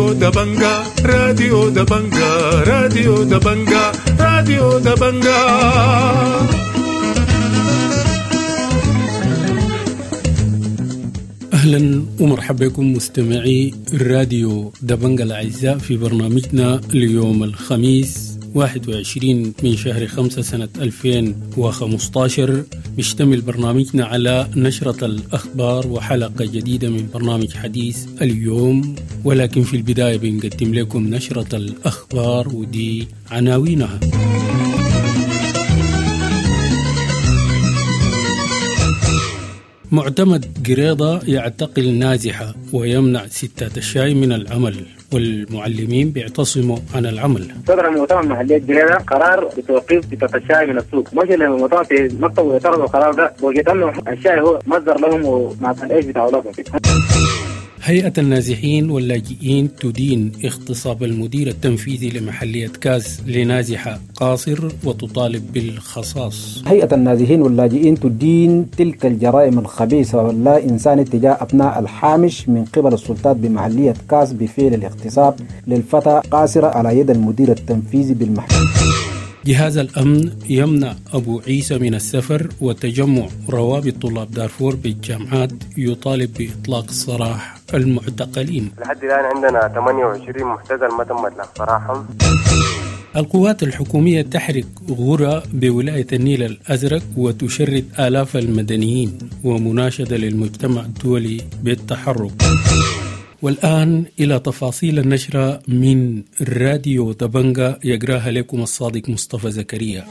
راديو دبنجا، راديو دبنجا، راديو دبنجا، راديو دبنجا. أهلا ومرحبا بكم مستمعي الراديو دبنجا الأعزاء في برنامجنا اليوم الخميس 21 من شهر 5 سنة 2015. بيشتمل برنامجنا على نشرة الأخبار وحلقة جديدة من برنامج حديث اليوم، ولكن في البداية بنقدم لكم نشرة الأخبار ودي عناوينها. معتمد قريضة يعتقل نازحة ويمنع ستات الشاي من العمل، والمعلمين بيعتصموا عن العمل. صدر مؤتمر محلية قريضة قرار بتوقيف ستات الشاي من السوق، مش المؤتمر في مكتب ويعترضوا القرار ده، وجدت انه الشاي هو مصدر لهم ومع العيش بتاع اولادهم. هيئة النازحين واللاجئين تدين اغتصاب المدير التنفيذي لمحلية كاس لنازحة قاصر وتطالب بالخصاص. هيئة النازحين واللاجئين تدين تلك الجرائم الخبيثة واللا إنسان تجاه أبناء الحامش من قبل السلطات بمحلية كاس بفعل الاغتصاب للفتى قاصرة على يد المدير التنفيذي بالمحلية. جهاز الأمن يمنع أبو عيسى من السفر، وتجمع روابط طلاب دارفور بالجامعات يطالب بإطلاق سراح المعتقلين. لحد الآن عندنا 28 معتقل ما تم إطلاق سراحهم. القوات الحكومية تحرق غرى بولاية النيل الأزرق وتشرد آلاف المدنيين، ومناشدة للمجتمع الدولي بالتحرك. والآن إلى تفاصيل النشرة من راديو دبنجا يقراها لكم الصادق مصطفى زكريا.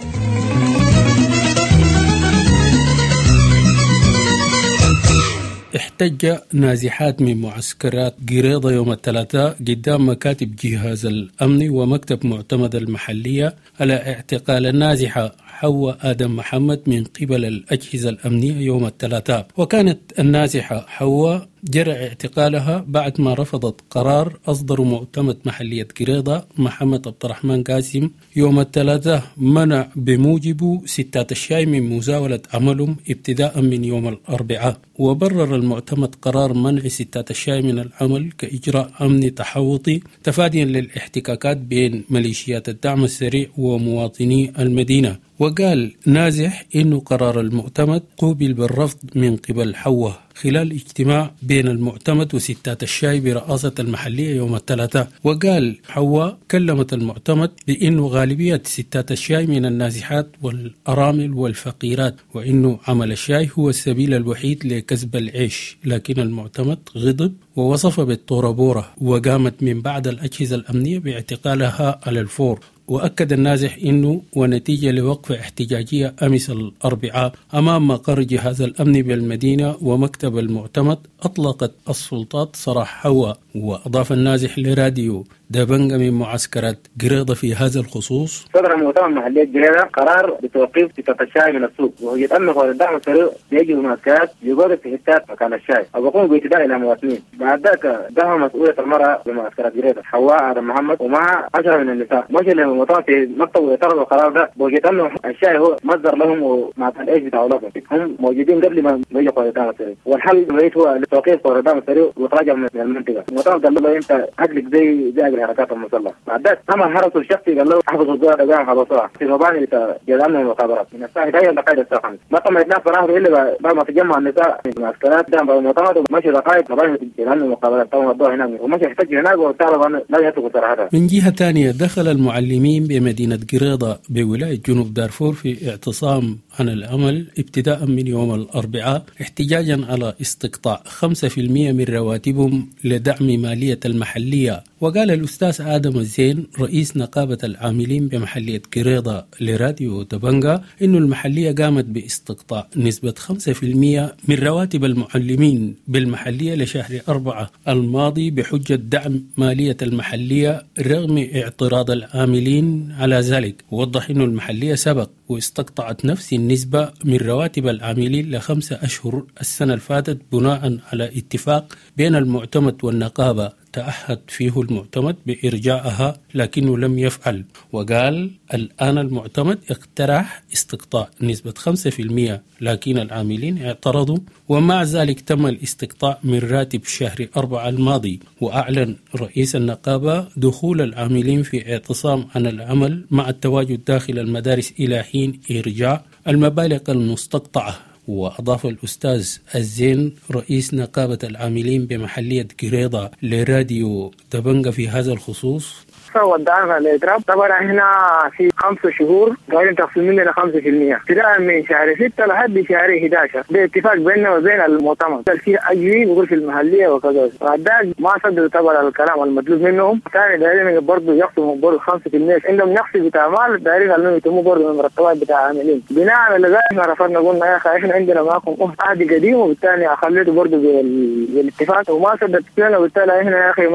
احتج نازحات من معسكرات قريضة يوم الثلاثاء قدام مكاتب جهاز الأمن ومكتب معتمد المحلية على اعتقال النازحة حواء آدم محمد من قبل الأجهزة الأمنية يوم الثلاثاء. وكانت النازحة حواء جرى اعتقالها بعد ما رفضت قرار أصدر معتمد محلية قريضة محمد عبد الرحمن قاسم يوم الثلاثاء منع بموجبه ستات الشاي من مزاولة عملهم ابتداء من يوم الأربعاء. وبرر المعتمد قرار منع ستات الشاي من العمل كإجراء أمني تحوطي تفاديا للاحتكاكات بين ميليشيات الدعم السريع ومواطني المدينة. وقال نازح إنه قرار المعتمد قوبل بالرفض من قبل حواء خلال اجتماع بين المعتمد وستات الشاي برئاسة المحلية يوم الثلاثاء. وقال حواء كلمت المعتمد بأنه غالبية ستات الشاي من النازحات والأرامل والفقيرات، وأنه عمل الشاي هو السبيل الوحيد لكسب العيش، لكن المعتمد غضب ووصف بالطوربورة، وقامت من بعد الأجهزة الأمنية باعتقالها على الفور. وأكد النازح أنه ونتيجة لوقفة احتجاجية أمس الأربعاء أمام مقر جهاز الأمن بالمدينة ومكتب المعتمد أطلقت السلطات سراح حواء. وأضاف النازح لراديو دبنجا من معسكرات قريضة في هذا الخصوص: صدر مؤتمر محلية قريضة قرار بتوقيف ستات الشاي من السوق، وهي أنه الدعم السريع بيجي المعسكرات يقعد في حتات مكان الشاي أو يقوم باعتداء إلى مواطنين. بعد ذاك دعم مسؤولية المرأة بمعسكرات قريضة حواء آدم محمد ومع 10 من النساء، مش المؤتمر في مكتب ويعترضوا القرار ده، وجدت أنه الشاي هو مصدر لهم ومع العيش بتاع أولادهم، هم موجودين قبل ما يجي قوات الدعم السريع، والحل الوحيد هو توقيف قوات الدعم السريع وإخراجهم من المنطقة. المؤتمر قال له أنت عقلك زي الحركات المسلحة. بعد ذاك أما حرسه الشخصي قال له احفظ الزوار قام حبسوها في مباني جزء من المخابرات من الساعة 11 لغاية الساعة 5. ما تم إطلاق سراحه إلا بعد ما تجمع النساء في المعسكرات قدام المؤتمر ومشي دقائق مباني جزء من المخابرات تم وضعها هناك ومشي احتج هناك وطالب أن لا يتركوا سراحتها. من جهة ثانية دخل المعلمين بمدينة قريضة بولاية جنوب دارفور في اعتصام عن العمل ابتداء من يوم الأربعاء احتجاجا على استقطاع 5% من رواتبهم لدعم مالية المحلية. وقال الأستاذ آدم الزين رئيس نقابة العاملين بمحلية قريضة لراديو دبنجا إنه المحلية قامت باستقطاع نسبة 5% من رواتب المعلمين بالمحلية لشهر 4 الماضي بحجة دعم مالية المحلية رغم اعتراض العاملين على ذلك. ووضح إنه المحلية سبق واستقطعت نفس النسبة من رواتب العاملين ل5 أشهر السنة الفاتت بناء على اتفاق بين المعتمد والنقابة تعهد فيه المعتمد بإرجاعها لكنه لم يفعل. وقال الآن المعتمد اقترح استقطاع نسبة 5%، لكن العاملين اعترضوا، ومع ذلك تم الاستقطاع من راتب شهر 4 الماضي. وأعلن رئيس النقابة دخول العاملين في اعتصام عن العمل مع التواجد داخل المدارس إلى حين إرجاع المبالغ المستقطعة. وأضاف الأستاذ الزين رئيس نقابة العاملين بمحلية قريضة لراديو دبنجة في هذا الخصوص: ودعنا الإضراب طبعا احنا في 5 شهور قاعدين تخصم مننا 5% ابتداء من شهر 6 لحد شهر 11 باتفاق بيننا وبين المؤتمر في اجري بيقول في المحليه وكذا. بعد ما صدقوا طبعا الكلام المطلوب منهم، ثاني دايرين برضه يخصموا برضه 5%، عندهم نقص بتاع مال دايرين انهم يتموا برضه من مرتبات بتاع عاملين. بناء على ذلك احنا رفضنا، قلنا يا اخي احنا عندنا معكم عهد قديم، وبالتالي خليته برضه بالاتفاق وما صدقت لنا، وبالتالي احنا يا اخي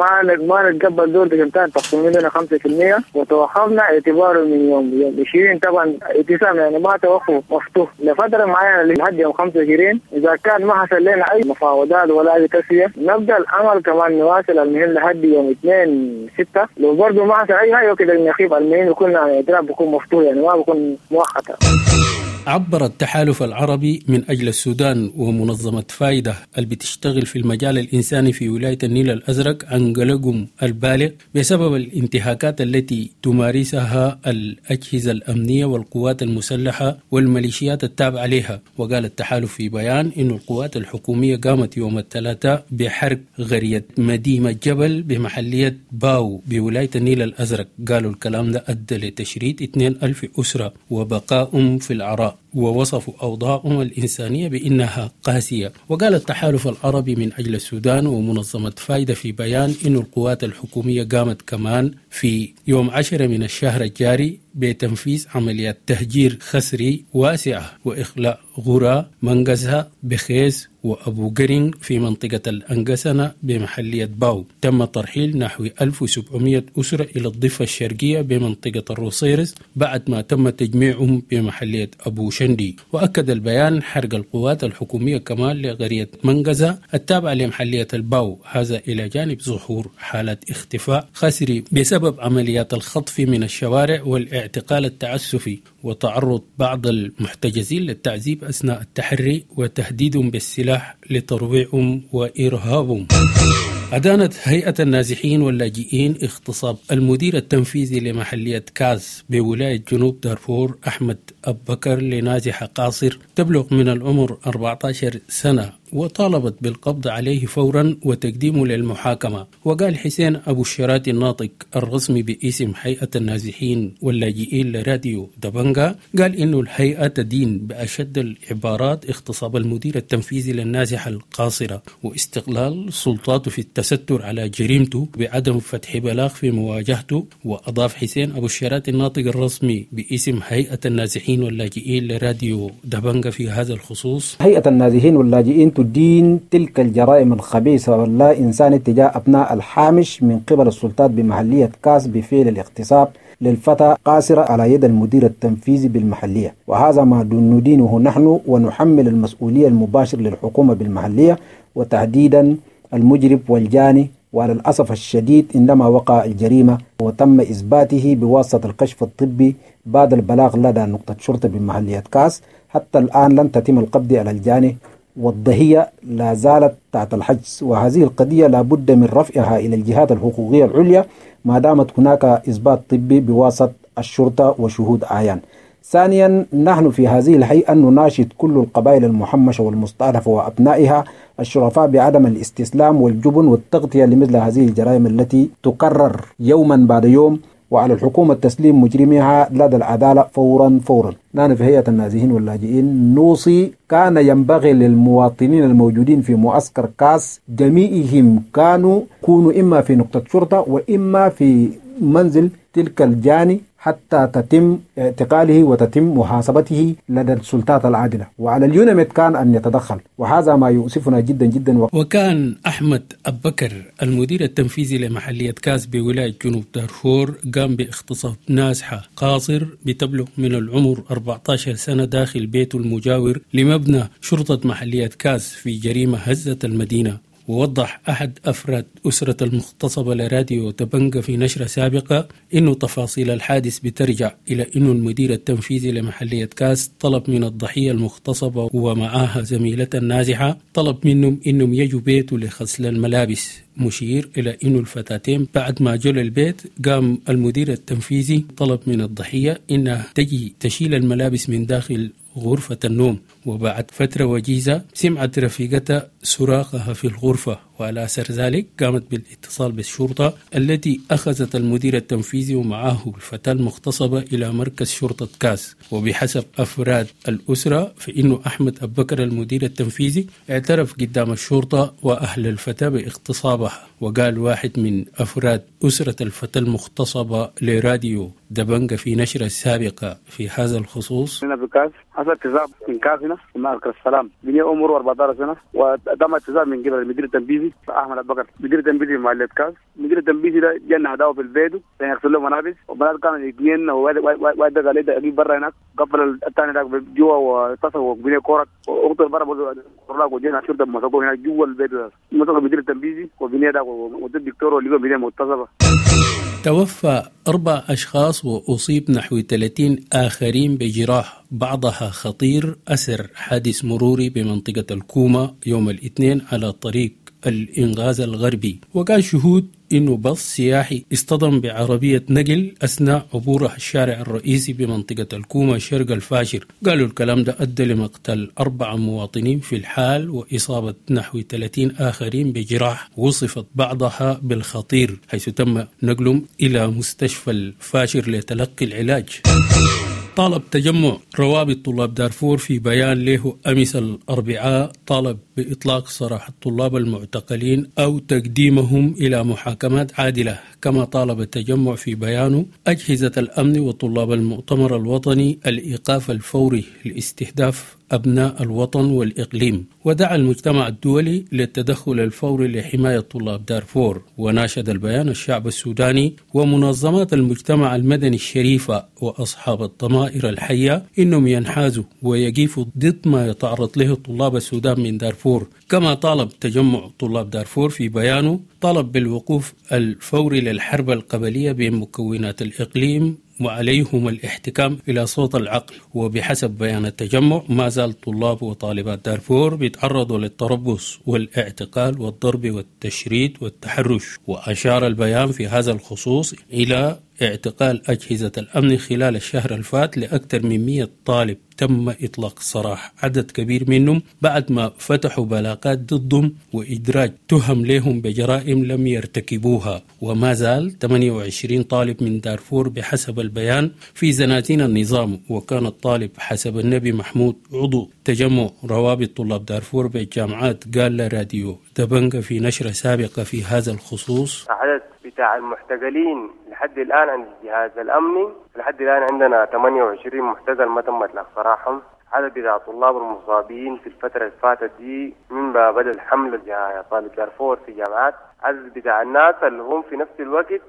ما نتقبل دور عشان تخصم مننا 5%. وتوقفنا اعتباره من يوم 20 طبعا اتسام، يعني ما توقف مفتوح لفتره معينه لحد يوم 25. اذا كان ما حصل لنا اي مفاوضات ولا اي تسويه نبدا العمل كمان نواصل المهم لحد يوم 2/6. لو برضه ما حصل اي حاجه كده نخيب المهم يكون يعني اضراب بيكون مفتوح، يعني ما بيكون مؤقت. عبر التحالف العربي من أجل السودان ومنظمة فايدة اللي بتشتغل في المجال الإنساني في ولاية النيل الأزرق عن قلقهم البالغ بسبب الانتهاكات التي تمارسها الأجهزة الأمنية والقوات المسلحة والميليشيات التابعة لها. وقال التحالف في بيان إن القوات الحكومية قامت يوم الثلاثاء بحرق غرية مديمة جبل بمحلية باو بولاية النيل الأزرق. قالوا الكلام ده أدى لتشريد 2000 أسرة وبقائهم في العراء، ووصفوا أوضاعهم الإنسانية بأنها قاسية. وقال التحالف العربي من أجل السودان ومنظمة فايدة في بيان إن القوات الحكومية قامت كمان في يوم 10 من الشهر الجاري بتنفيذ عمليات تهجير خسري واسعة وإخلاء غرى منقزها بخيز وأبو قرن في منطقة الأنقسنة بمحلية باو. تم ترحيل نحو 1700 أسرة إلى الضفة الشرقية بمنطقة الروصيرس بعد ما تم تجميعهم بمحلية أبو شندي. وأكد البيان حرق القوات الحكومية كمان لقرية منقزة التابعة لمحلية الباو، هذا إلى جانب ظهور حالة اختفاء خسري بسبب عمليات الخطف من الشوارع والاعتقال التعسفي وتعرض بعض المحتجزين للتعذيب أثناء التحري وتهديدهم بالسلاح لترويعهم وإرهابهم. أدانت هيئة النازحين واللاجئين اغتصاب المدير التنفيذي لمحلية كاس بولاية جنوب دارفور أحمد أبكر لنازحة قاصر تبلغ من العمر 14 سنة، وطالبت بالقبض عليه فورا وتقديمه للمحاكمة. وقال حسين أبو الشرات الناطق الرسمي باسم هيئة النازحين واللاجئين لراديو دبنجا قال إنه الهيئة تدين بأشد العبارات اغتصاب المدير التنفيذي للنازحة القاصرة واستغلال سلطاته في التستر على جريمته بعدم فتح بلاغ في مواجهته. وأضاف حسين أبو الشرات الناطق الرسمي باسم هيئة النازحين واللاجئين لراديو دبنجا في هذا الخصوص: هيئة النازحين واللاجئين تدين تلك الجرائم الخبيثة واللا إنسان تجاه أبناء الحامش من قبل السلطات بمحلية كاس بفعل الاغتصاب للفتى قاصرة على يد المدير التنفيذي بالمحلية، وهذا ما ندينه نحن ونحمل المسؤولية المباشر للحكومة بالمحلية وتحديدا المجرم والجاني. وعلى الأسف الشديد عندما وقع الجريمة وتم إثباته بواسطة الكشف الطبي بعد البلاغ لدى نقطة شرطة بمحلية كاس، حتى الآن لم تتم القبض على الجاني والضحية لا زالت تحت الحجز، وهذه القضية لابد من رفعها إلى الجهات الحقوقية العليا ما دامت هناك إثبات طبي بواسطة الشرطة وشهود أعيان. ثانيا، نحن في هذه الهيئة نناشد كل القبائل المحمشة والمستهدفة وأبنائها الشرفاء بعدم الاستسلام والجبن والتغطية لمثل هذه الجرائم التي تكرر يوما بعد يوم، وعلى الحكومة تسليم مجرميها لدى العدالة فورا فورا. نحن في هيئة النازحين واللاجئين نوصي كان ينبغي للمواطنين الموجودين في معسكر كاس جميعهم كانوا يكونوا إما في نقطة شرطة وإما في منزل تلك الجاني حتى تتم اعتقاله وتتم محاسبته لدى السلطات العادلة، وعلى اليونميد كان أن يتدخل، وهذا ما يؤسفنا جدا جدا. وكان أحمد أبكر المدير التنفيذي لمحلية كاس بولاية جنوب دارفور قام باغتصاب نازحة قاصر بتبلغ من العمر 14 سنة داخل بيته المجاور لمبنى شرطة محلية كاس في جريمة هزت المدينة. ووضح أحد أفراد أسرة المغتصبة لراديو دبنقا في نشرة سابقة إنه تفاصيل الحادث بترجع إلى إنه المدير التنفيذي لمحلية كاس طلب من الضحية المغتصبة ومعاها زميلتها النازحة، طلب منهم إنهم يجوا بيته لغسل الملابس، مشير إلى إنه الفتاتين بعد ما جو للبيت قام المدير التنفيذي طلب من الضحية إنها تجي تشيل الملابس من داخل غرفة النوم. وبعد فترة وجيزة سمعت رفيقتها صراخها في الغرفة، وعلى أثر ذلك قامت بالاتصال بالشرطة التي أخذت المدير التنفيذي ومعه الفتاة المغتصبة إلى مركز شرطة كاس. وبحسب أفراد الأسرة فإنه أحمد أبو بكر المدير التنفيذي اعترف قدام الشرطة وأهل الفتاة باغتصابها. وقال واحد من أفراد أسرة الفتاة المغتصبة لراديو دبنقا في نشرة سابقة في هذا الخصوص: هنا في كاس حصل اغتصاب من كاس هنا في مركز السلام، بني عمره 14 سنة، وتم اغتصاب من قبل المدير التنفيذي أحمد أبو بكر، مدير التنفيذي محلية كاس. المدير التنفيذي ده جانا هداوه في البيت عشان يغسل له ملابس، وبنات كانوا اثنين، وواحد قال لي اجيب برا هناك، قفل الثاني ده جوا واتصل وبني كورك واخته برا برا، وجينا الشرطه مسكوه هناك جوا البيت، مسكوا المدير التنفيذي وبني ده والدكتور واللي بني مغتصبه. توفى 4 أشخاص وأصيب نحو 30 آخرين بجراح بعضها خطير أثر حادث مروري بمنطقة الكومة يوم الاثنين على طريق الإنغاز الغربي. وقال شهود إنه باص سياحي اصطدم بعربية نقل أثناء عبوره الشارع الرئيسي بمنطقة الكومة شرق الفاشر. قالوا الكلام ده أدى لمقتل 4 مواطنين في الحال وإصابة نحو 30 آخرين بجراح وصفت بعضها بالخطير، حيث تم نقلهم إلى مستشفى الفاشر لتلقي العلاج. طالب تجمع روابط طلاب دارفور في بيان له أمس الأربعاء، طالب بإطلاق سراح الطلاب المعتقلين أو تقديمهم إلى محاكمات عادلة. كما طالب التجمع في بيانه أجهزة الأمن وطلاب المؤتمر الوطني الإيقاف الفوري لاستهداف أبناء الوطن والإقليم، ودعا المجتمع الدولي للتدخل الفوري لحماية طلاب دارفور. وناشد البيان الشعب السوداني ومنظمات المجتمع المدني الشريفة وأصحاب الضمائر الحية إنهم ينحازوا ويقفوا ضد ما يتعرض له طلاب السودان من دارفور. كما طالب تجمع طلاب دارفور في بيانه طلب بالوقوف الفوري للحرب القبلية بين مكونات الإقليم وعليهم الاحتكام إلى صوت العقل. وبحسب بيان التجمع ما زال طلاب وطالبات دارفور بيتعرضوا للتربص والاعتقال والضرب والتشريد والتحرش. وأشار البيان في هذا الخصوص إلى اعتقال أجهزة الأمن خلال الشهر الفات لأكثر من 100 طالب تم إطلاق سراح عدد كبير منهم بعد ما فتحوا بلاغات ضدهم وإدراج تهم لهم بجرائم لم يرتكبوها. وما زال 28 طالب من دارفور بحسب البيان في زنازين النظام. وكان الطالب حسب النبي محمود عضو تجمع روابط طلاب دارفور بالجامعات قال لراديو دبنقا في نشرة سابقة في هذا الخصوص: عدد بتاع المحتجلين لحد الآن عند الجهاز الأمني لحد الآن عندنا 28 محتجل ما تم إطلاق سراحهم. عدد بتاع الطلاب المصابين في الفترة اللي فاتت دي من بدأ الحملة طالب دارفور في جامعات، عدد بتاع الناس اللي هم في نفس الوقت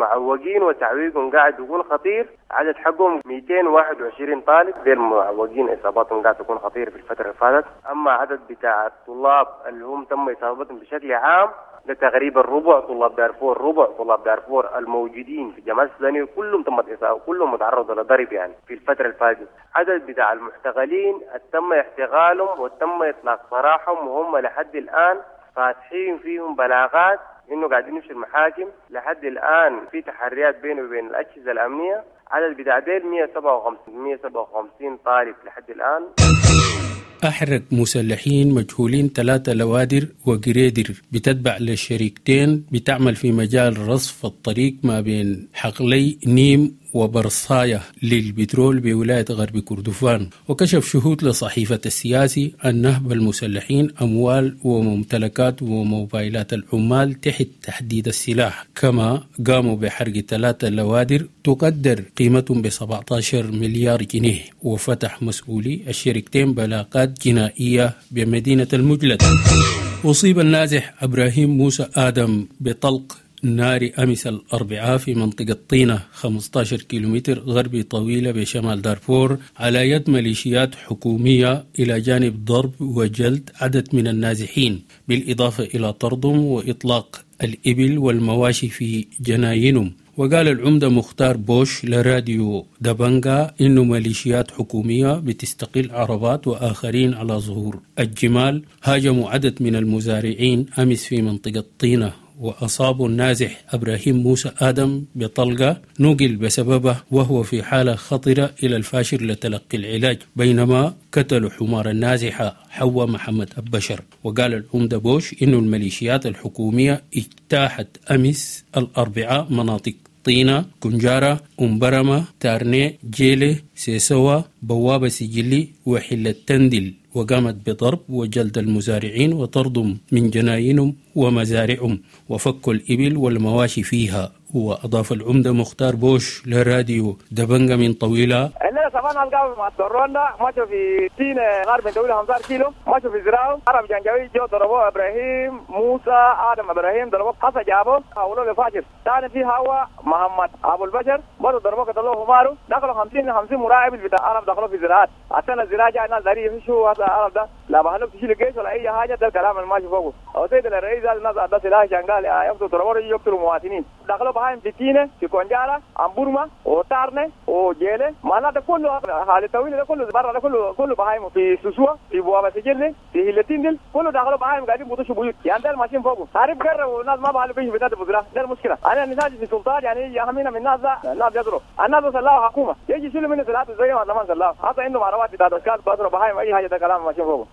معوقين وتعويقهم قاعد يكون خطير، عدد حقهم 221 طالب غير معوقين إصاباتهم قاعد تكون خطيرة في الفترة اللي فاتت. أما عدد بتاع الطلاب اللي هم تم إصابتهم بشكل عام ده تقريبا ربع طلاب دارفور، ربع طلاب دارفور الموجودين في الجامعات السودانية كلهم تم إصابة، كلهم متعرضوا لضرب يعني في الفترة اللي فاتت. عدد بتاع المحتقلين تم احتقالهم وتم إطلاق سراحهم وهم لحد الآن فاتحين فيهم بلاغات إنه قاعدين يمشوا المحاكم. لحد الآن في تحريات بينه وبين الأجهزة الأمنية. عدد بتاع ديل 157 طالب لحد الآن. أحرق مسلحين مجهولين 3 لوادر وجريدر بتتبع للشركتين بتعمل في مجال رصف الطريق ما بين حقلي نيم وبرصاية للبترول بولاية غرب كردفان. وكشف شهود لصحيفة السياسي أن نهب المسلحين أموال وممتلكات وموبايلات العمال تحت تحديد السلاح، كما قاموا بحرق 3 لوادر تقدر قيمتهم ب 17 مليار جنيه. وفتح مسؤولي الشركتين بلاغات جنائية بمدينة المجلد. أصيب النازح إبراهيم موسى آدم بطلق ناري أمس الأربعاء في منطقة طينة 15 كيلومتر غربي طويلة بشمال دارفور على يد ميليشيات حكومية، إلى جانب ضرب وجلد عدد من النازحين، بالإضافة إلى طردهم وإطلاق الإبل والمواشي في جناينهم. وقال العمدة مختار بوش لراديو دبنجا إنه ميليشيات حكومية بتستقل عربات وآخرين على ظهور الجمال هاجموا عدد من المزارعين أمس في منطقة طينة، وأصابوا النازح إبراهيم موسى آدم بطلقة نقل بسببه وهو في حالة خطرة إلى الفاشر لتلقي العلاج، بينما قتلوا حمار النازحة حواء محمد أبشر. وقال العمدة بوش إنه الميليشيات الحكومية اجتاحت أمس الأربعاء مناطق طينة، كنجارة، أمبرمة، تارني، جيلي، سيسوا، بوابة سجلي، وحلة تندل، وقامت بضرب وجلد المزارعين وطردهم من جناينهم ومزارعهم وفكوا الإبل والمواشي فيها. وأضاف العمدة مختار بوش لراديو دبنجا من طويلة: الليلة صباحنا القهوة مع الرونا مشوا في تين غرب من دولة 15 كيلو، مشوا في زراعة عرب جنجوي جو ضربوه إبراهيم موسى آدم إبراهيم ضربوه حسن جابوه حولوه لفاجر. ثاني في هوا محمد أبو البشر برضه ضربوه قتلوه همارو، دخلوا 50 مراقب بتاع عرب دخلوا في زراعات عشان الزراعة جاء الناس داري يمشوا هذا العرب ده لا بحلوك تشيل الجيش ولا أي حاجة. ده الكلام اللي ماشي فوقه. أو سيد الرئيس قال الناس ده سلاح عشان قال يقتلوا ضربوه يقتلوا مواطنين. دخلوا بهايم في تينة في كونجارة أمبورما وتارنة وجيلة معناته كله حالة طويلة ده كله برا ده كله بهايم في سوسوا في بوابة سجلة في هيلتين كله دخلوا بهايم قاعدين بطشوا بيوت يعني ده الماشيين فوقه عارف قرب والناس ما بحلوا بيش بتاعت بزرة. ده المشكلة. أنا الناس في السلطات يعني يهمنا من الناس ده الناس يضرب الناس سلاحوا حكومة يجي يشيلوا منه سلاح زي ما زمان سلاح حتى عندهم عربات بتاعت أشكال بضرب بهايم أي حاجة ده كلام ماشيين فوقه.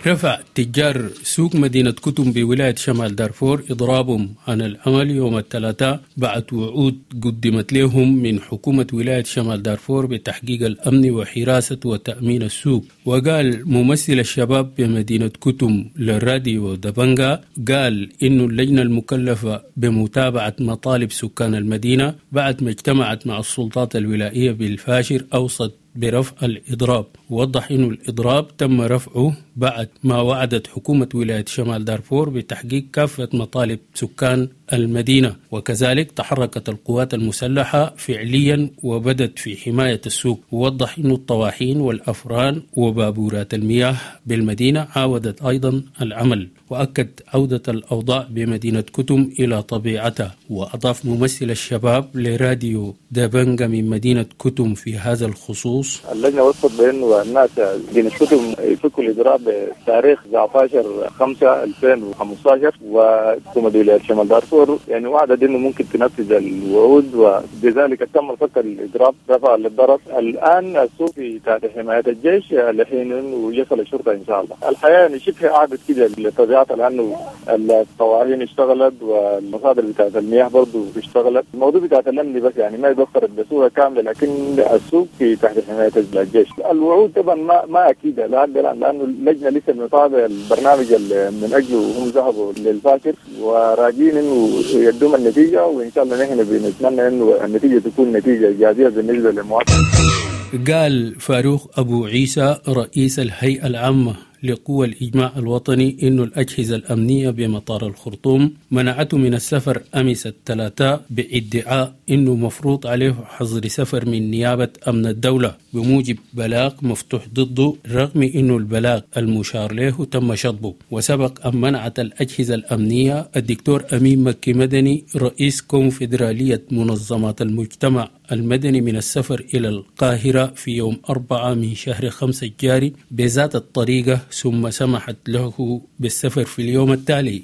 رفع تجار سوق مدينة كتم بولاية شمال دارفور إضرابهم عن العمل يوم الثلاثاء بعد وعود قدمت لهم من حكومة ولاية شمال دارفور بتحقيق الأمن وحراسة وتأمين السوق. وقال ممثل الشباب بمدينة كتم للراديو دبنجا قال إنه اللجنة المكلفة بمتابعة مطالب سكان المدينة بعد ما اجتمعت مع السلطات الولائية بالفاشر أوصت برفع الإضراب. ووضح أن الإضراب تم رفعه بعد ما وعدت حكومة ولاية شمال دارفور بتحقيق كافة مطالب سكان المدينة، وكذلك تحركت القوات المسلحة فعليا وبدت في حماية السوق. ووضح أن الطواحين والأفران وبابورات المياه بالمدينة عاودت أيضا العمل، وأكد عودة الأوضاع بمدينة كتم إلى طبيعتها. وأضاف ممثل الشباب لراديو دبنجا من مدينة كتم في هذا الخصوص: اللجنة وصفت بأنه الناس مدينة كتم يفكوا الإضراب بتاريخ 19/5/2015، وحكومة ولاية شمال دارفور يعني وعدت انه ممكن تنفذ الوعود، وبذلك تم فك الاضراب رفع للضرر. الان السوق في تحت حمايه الجيش لحين انه يصل الشرطه ان شاء الله. الحياه يعني شبه عادت كده لطبيعتها لانه الطواحين اشتغلت والمصادر بتاعت المياه برضه اشتغلت. الموضوع بتاع الامن بس يعني ما يتوفرت بصوره كامله، لكن السوق في تحت حمايه الجيش. الوعود طبعا ما اكيده لحد الان لانه اللجنه لسه متابعه البرنامج اللي من اجله هم ذهبوا للفاشر وراجين انه يدوم النتيجة، وإن شاء الله نحن بنتمنى إنه النتيجة تكون نتيجة إيجابية بالنسبة للمواطن. قال فاروق أبو عيسى رئيس الهيئة العامة لقوى الإجماع الوطني إنه الأجهزة الأمنية بمطار الخرطوم منعته من السفر أمس الثلاثاء بادعاء إنه مفروض عليه حظر سفر من نيابة أمن الدولة بموجب بلاغ مفتوح ضده، رغم إنه البلاغ المشار له تم شطبه. وسبق أن منعت الأجهزة الأمنية الدكتور أمين مكي مدني رئيس كونفدرالية منظمات المجتمع المدني من السفر إلى القاهرة في يوم 4 من شهر 5 الجاري بذات الطريقة، ثم سمحت له بالسفر في اليوم التالي.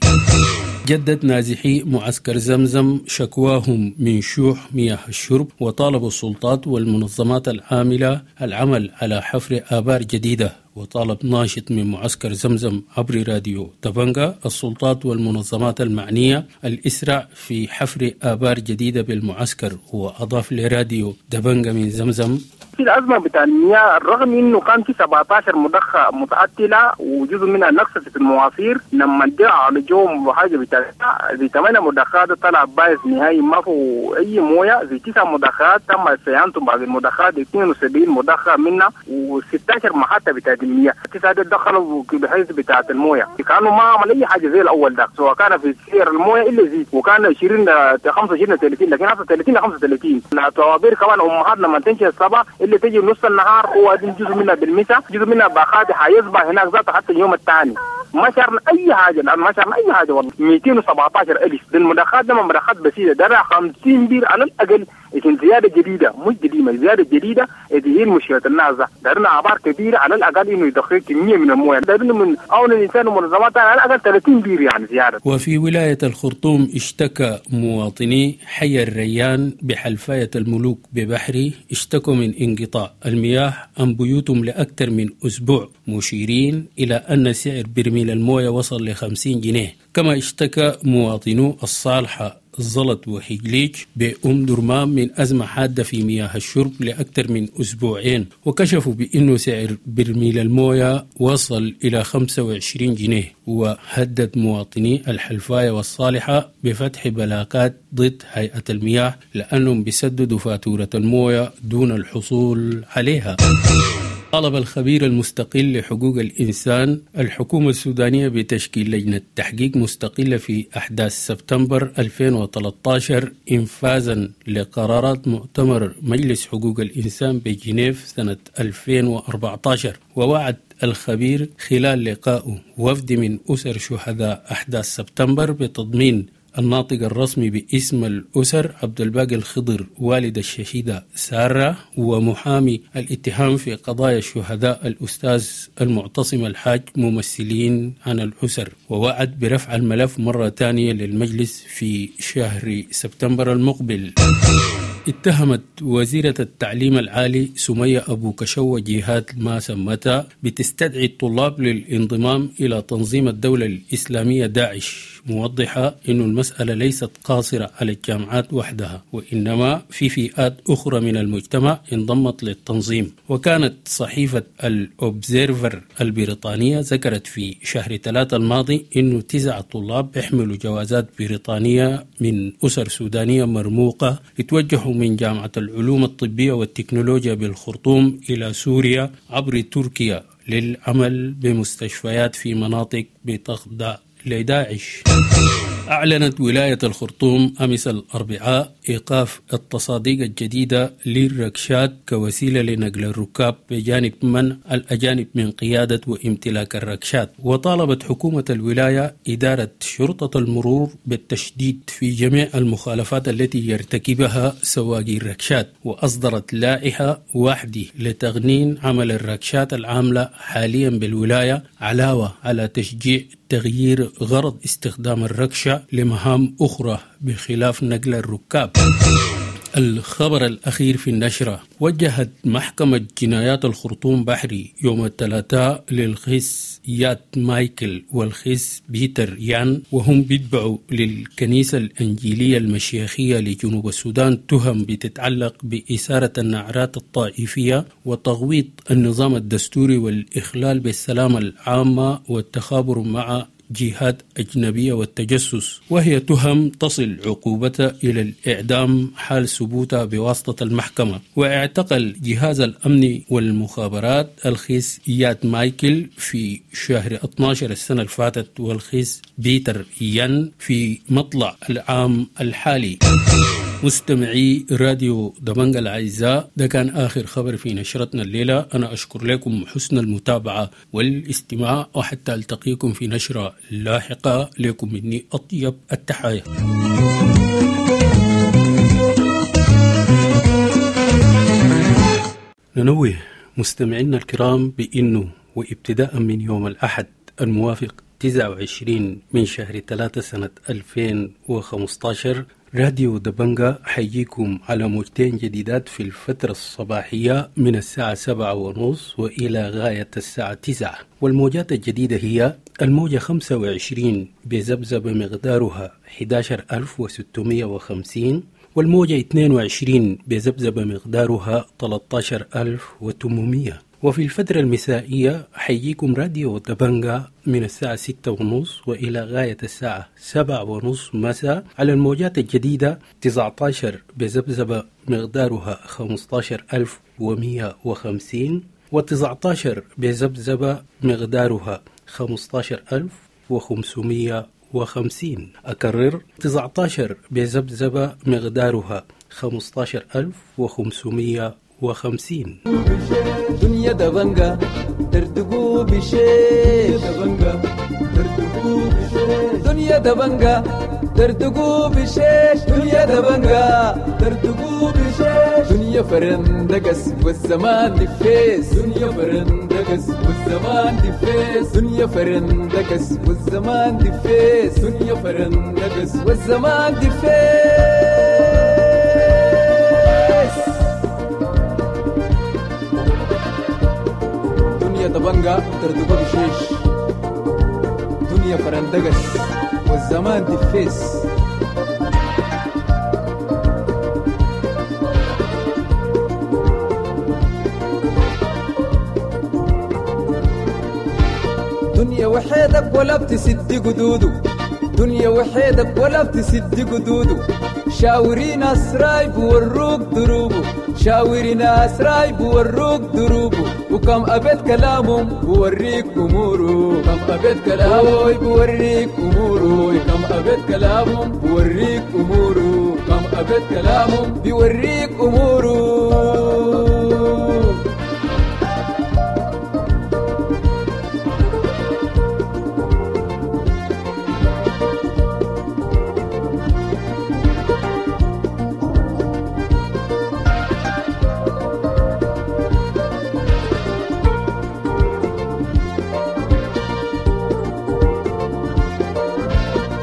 جدد نازحي معسكر زمزم شكواهم من شوح مياه الشرب، وطالبوا السلطات والمنظمات العاملة العمل على حفر آبار جديدة. وطالب ناشط من معسكر زمزم عبر راديو تبنغا السلطات والمنظمات المعنية الإسراع في حفر آبار جديدة بالمعسكر. وأضاف لراديو دبنغا من زمزم: في الأزمة بتاع المياه الرغم إنه كان في 17 مضخة متعطلة وجزء منها نقص في المواسير، لما ادعوا على جوم وحاجة بتاع 8 مضخات طلع بايظ نهائي ما في أي موية. في 9 مضخات تم صيانتهم بعد المضخات، 72 مضخة منها و16 محطة بتاع بتاعت المياه، 9 دي دخلوا بحيث بتاعت المويه، كانوا ما عمل اي حاجه زي الاول ده، سواء كان في سعر المويه الا زيد، وكان 20 25 30، لكن هسه 30 35. الطوابير كمان امهات لما تمشي الصباح اللي تجي نص النهار هو جزء منها بالمساء، جزء منها باخات حيصبح هناك ذاته حتى اليوم الثاني. ما شعرنا اي حاجه، لان ما شعرنا اي حاجه والله. 217,000 المضخات ده مضخات بسيطه، ده 50 بير على الاقل، لكن زياده جديده مش قديمه، زياده جديده هي مشكله الناس. دارنا ابار كبيره على الاقل انه يدخل كميه من المويه، دارنا من اون الانسان ومنظمات على الاقل 30 بير يعني زياده. وفي ولايه الخرطوم اشتكى مواطني حي الريان بحلفايه الملوك ببحري، اشتكوا من انقطاع المياه عن بيوتهم لاكثر من اسبوع، مشيرين الى ان سعر برميل المويه وصل ل 50 جنيه. كما اشتكى مواطنو الصالحة زلط وحجليج بأم درمان من أزمة حادة في مياه الشرب لأكثر من أسبوعين، وكشفوا بأنه سعر برميل الموية وصل إلى 25 جنيه. وهدد مواطني الحلفاية والصالحة بفتح بلاغات ضد هيئة المياه لأنهم بيسددوا فاتورة الموية دون الحصول عليها. طلب الخبير المستقل لحقوق الإنسان الحكومة السودانية بتشكيل لجنة تحقيق مستقلة في أحداث سبتمبر 2013 إنفاذا لقرارات مؤتمر مجلس حقوق الإنسان بجنيف سنة 2014. ووعد الخبير خلال لقائه وفد من أسر شهداء أحداث سبتمبر بتضمين الناطق الرسمي باسم الأسر عبد الباقي الخضر والد الشهيدة سارة، ومحامي الاتهام في قضايا الشهداء الأستاذ المعتصم الحاج ممثلين عن الأسر. ووعد برفع الملف مرة ثانية للمجلس في شهر سبتمبر المقبل. اتهمت وزيرة التعليم العالي سمية أبو كشوة جهات ما سمتها بتستدعي الطلاب للانضمام إلى تنظيم الدولة الإسلامية داعش، موضحة أن المسألة ليست قاصرة على الجامعات وحدها، وإنما في فئات أخرى من المجتمع انضمت للتنظيم. وكانت صحيفة الأوبزيرفر البريطانية ذكرت في شهر 3 الماضي أنه 9 طلاب يحملوا جوازات بريطانية من أسر سودانية مرموقة اتوجهوا من جامعة العلوم الطبية والتكنولوجيا بالخرطوم إلى سوريا عبر تركيا للعمل بمستشفيات في مناطق بتخضع لداعش. أعلنت ولاية الخرطوم أمس الأربعاء إيقاف التصاديق الجديدة للركشات كوسيلة لنقل الركاب بجانب منع الأجانب من قيادة وامتلاك الركشات. وطالبت حكومة الولاية إدارة شرطة المرور بالتشديد في جميع المخالفات التي يرتكبها سواقي الركشات، وأصدرت لائحة واحدة لتغنين عمل الركشات العاملة حاليا بالولاية، علاوة على تشجيع تغيير غرض استخدام الركشة لمهام أخرى بخلاف نقل الركاب. الخبر الأخير في النشرة: وجهت محكمة جنايات الخرطوم بحري يوم الثلاثاء للخس يات مايكل والخس بيتر يان، وهم بيتبعوا للكنيسة الأنجيلية المشيخية لجنوب السودان، تهم بتتعلق بإثارة النعرات الطائفية وتغويط النظام الدستوري والإخلال بالسلامة العامة والتخابر مع جهات أجنبية والتجسس، وهي تهم تصل عقوبتها إلى الإعدام حال ثبوتها بواسطة المحكمة. واعتقل جهاز الأمن والمخابرات الخيس يات مايكل في شهر 12 السنة الفاتت، والخيس بيتر يان في مطلع العام الحالي. مستمعي راديو دبنجا الأعزاء، ده كان آخر خبر في نشرتنا الليلة. أنا أشكر لكم حسن المتابعة والاستماع، وحتى ألتقيكم في نشرة لاحقة. لكم مني أطيب التحايا. ننوه مستمعينا الكرام بأنه وابتداء من يوم الأحد الموافق 29 من شهر 3 سنة 2015 راديو دبنجا حيجيكم على موجتين جديدات في الفترة الصباحية من الساعة 7:30 وإلى غاية الساعة 9. والموجات الجديدة هي الموجة 25 بذبذبة مقدارها 11650، والموجة 22 بذبذبة مقدارها 13800. وفي الفترة المسائية حيجيكم راديو دبنجا من الساعة 6:30 وإلى غاية الساعة 7:30 مساء على الموجات الجديدة 19 بذبذبة مقدارها 15150، و19 بذبذبة مقدارها 15550. أكرر 19 بذبذبة مقدارها 15550. دنيا دبنجة تردقوا بشيش، دنيا دبنجة تردقوا بشيش، دنيا دبنجة تردقوا بشيش، دنيا فرندقس والزمان دفيس، دنيا فرندقس والزمان دفيس، دنيا فرندقس والزمان دفيس، دنيا فرندقس والزمان دفيس. دنيا دبنجة تردقوا بشيش، دنيا فرندقس والزمان دفيس. دنيا وحيدك ولا بتسد قدوده، دنيا وحيدك ولا بتسد قدوده، شاوري ناس رايب وروك دروبه، شاوري ناس رايب وروك دروبه، وكم أبيت كلامهم بوريك أموره، كم أبيت كلامه بوريك أموره، كم أبيت كلامهم بوريك أموره، كم أبيت كلامهم بيوريك أموره.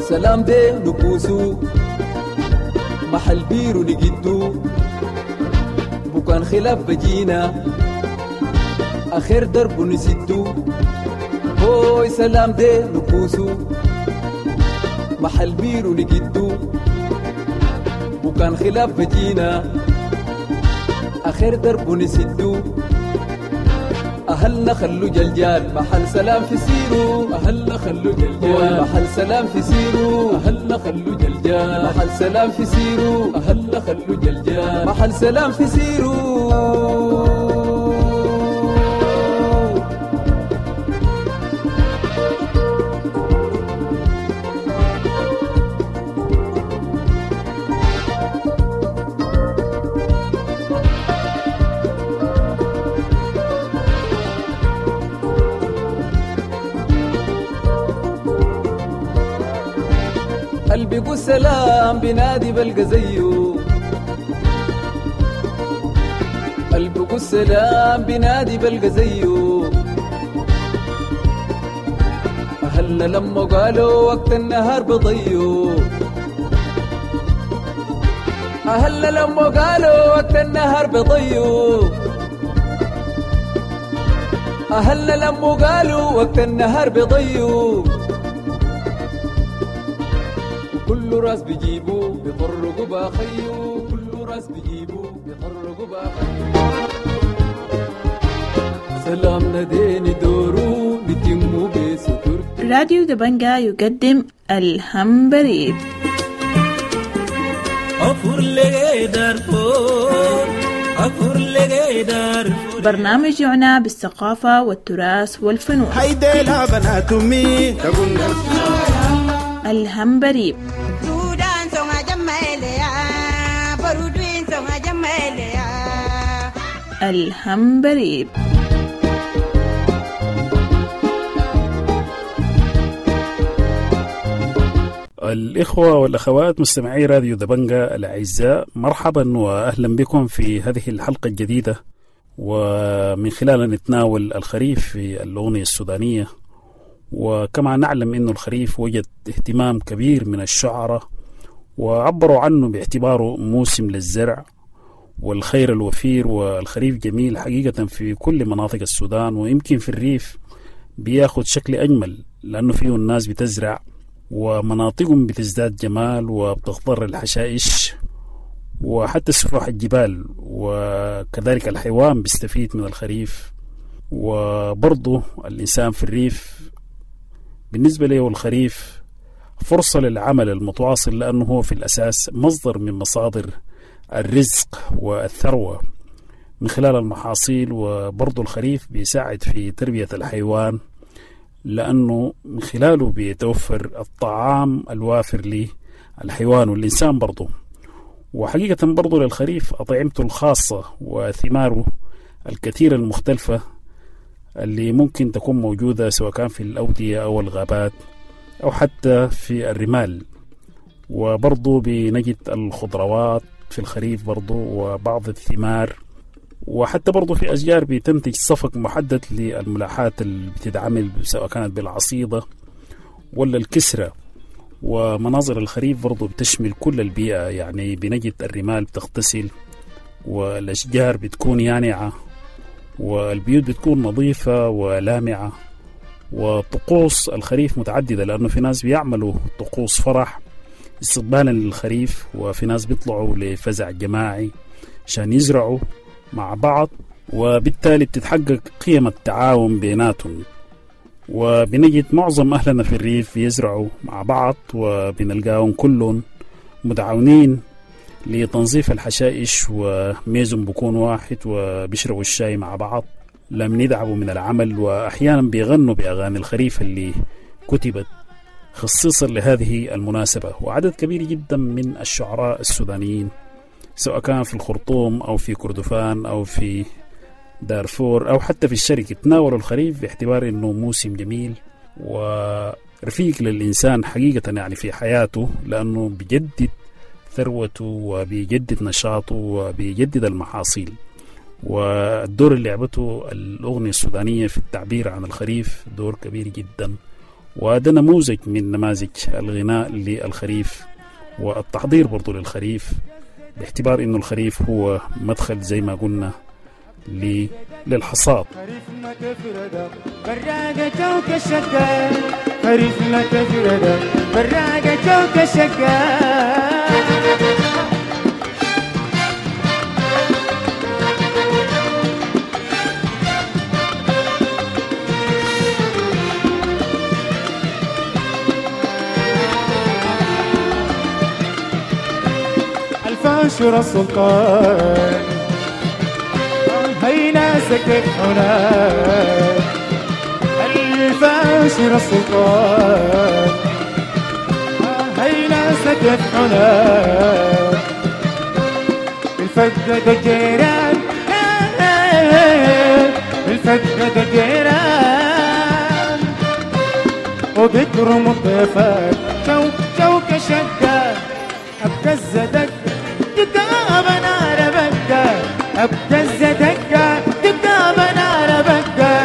سلام دي نكوسو محل بيرو نجدو، بكان خلاف بجينا آخر درب نسدو، هوي سلام دي نكوسو محل بيرو نجدو، بكان خلاف بجينا آخر درب نسدو، أهلنا خلو جلجال محل سلام في سيرو، أهلنا خلو جلجال محل سلام في سيرو، أهلنا خلو جلجال محل سلام في سيرو، أهلنا خلو جلجال محل سلام في سيرو. قلبي سلام بنادي بلقى زيه، قلبي سلام بنادي بلقى زيه، أهلنا لما قالوا وقت النهار بضيو، أهلنا لما قالوا وقت النهار بضيو، أهلنا لما قالوا وقت النهار بضيو، كل راس بيجيبو بيطرقوا باخيو، كل راس بيجيبو بيطرقوا باخيو، سلامنا ديني دورو بيتمو بستر. راديو دبنجا يقدم الهمبريب. برنامج يعنى بالثقافة والتراث والفنون. الهمبريب. الهمبريب. الإخوة والأخوات مستمعي راديو دبنجا الأعزاء، مرحبا وأهلا بكم في هذه الحلقة الجديدة، ومن خلالها نتناول الخريف في الأغنية السودانية. وكما نعلم أن الخريف وجد اهتمام كبير من الشعراء، وعبروا عنه باعتباره موسم للزرع والخير الوفير، والخريف جميل حقيقة في كل مناطق السودان، ويمكن في الريف بياخد شكل أجمل لأنه فيه الناس بتزرع ومناطقهم بتزداد جمال وبتخضر الحشائش وحتى سفوح الجبال، وكذلك الحيوان بيستفيد من الخريف. وبرضه الإنسان في الريف بالنسبة له الخريف فرصة للعمل المتواصل، لأنه هو في الأساس مصدر من مصادر الرزق والثروة. من خلال المحاصيل. وبرضو الخريف بيساعد في تربية الحيوان، لأنه من خلاله بيتوفر الطعام الوافر للحيوان والإنسان برضو. وحقيقة برضو للخريف أطعمته الخاصة وثماره الكثيرة المختلفة اللي ممكن تكون موجودة سواء كان في الأودية أو الغابات أو حتى في الرمال. وبرضو بنجد الخضروات في الخريف برضو وبعض الثمار، وحتى برضو في أشجار بتنتج صفق محدد للملاحات اللي بتتعمل سواء كانت بالعصيدة ولا الكسرة. ومناظر الخريف برضو بتشمل كل البيئة، يعني بنجد الرمال بتغتسل والأشجار بتكون يانعة والبيوت بتكون نظيفة ولامعة. وطقوس الخريف متعددة، لأنه في ناس بيعملوا طقوس فرح استقبالا للخريف، وفي ناس بيطلعوا لفزع جماعي عشان يزرعوا مع بعض، وبالتالي بتتحقق قيم التعاون بيناتهم. وبنجد معظم أهلنا في الريف بيزرعوا مع بعض، وبنلقاهم كلهم متعاونين لتنظيف الحشائش، وميزهم بكون واحد وبيشربوا الشاي مع بعض لم يدعبوا من العمل، وأحيانا بيغنوا بأغاني الخريف اللي كتبت خصيصا لهذه المناسبة. وعدد كبير جدا من الشعراء السودانيين سواء كان في الخرطوم أو في كردفان أو في دارفور أو حتى في الشرق تناولوا الخريف باعتبار أنه موسم جميل ورفيق للإنسان حقيقة يعني في حياته، لأنه بيجدد ثروته وبيجدد نشاطه وبيجدد المحاصيل. والدور اللي لعبته الأغنية السودانية في التعبير عن الخريف دور كبير جدا، وهذا نموذج من نماذج الغناء للخريف والتحضير برضو للخريف، باعتبار أنه الخريف هو مدخل زي ما قلنا للحصاد. خريفنا كفردة براقة جوك شقة، خريفنا كفردة براقة جوك شقة. الفاشر السلطان هينا سكت هناك، الفاشر السلطان هينا سكت هناك، الفقد الجيران الفقد الجيران وبكرم الضيفات جو جوك شقة أبكز دقة دقة بنار بقة أبكز دقة دقة بنار بقة.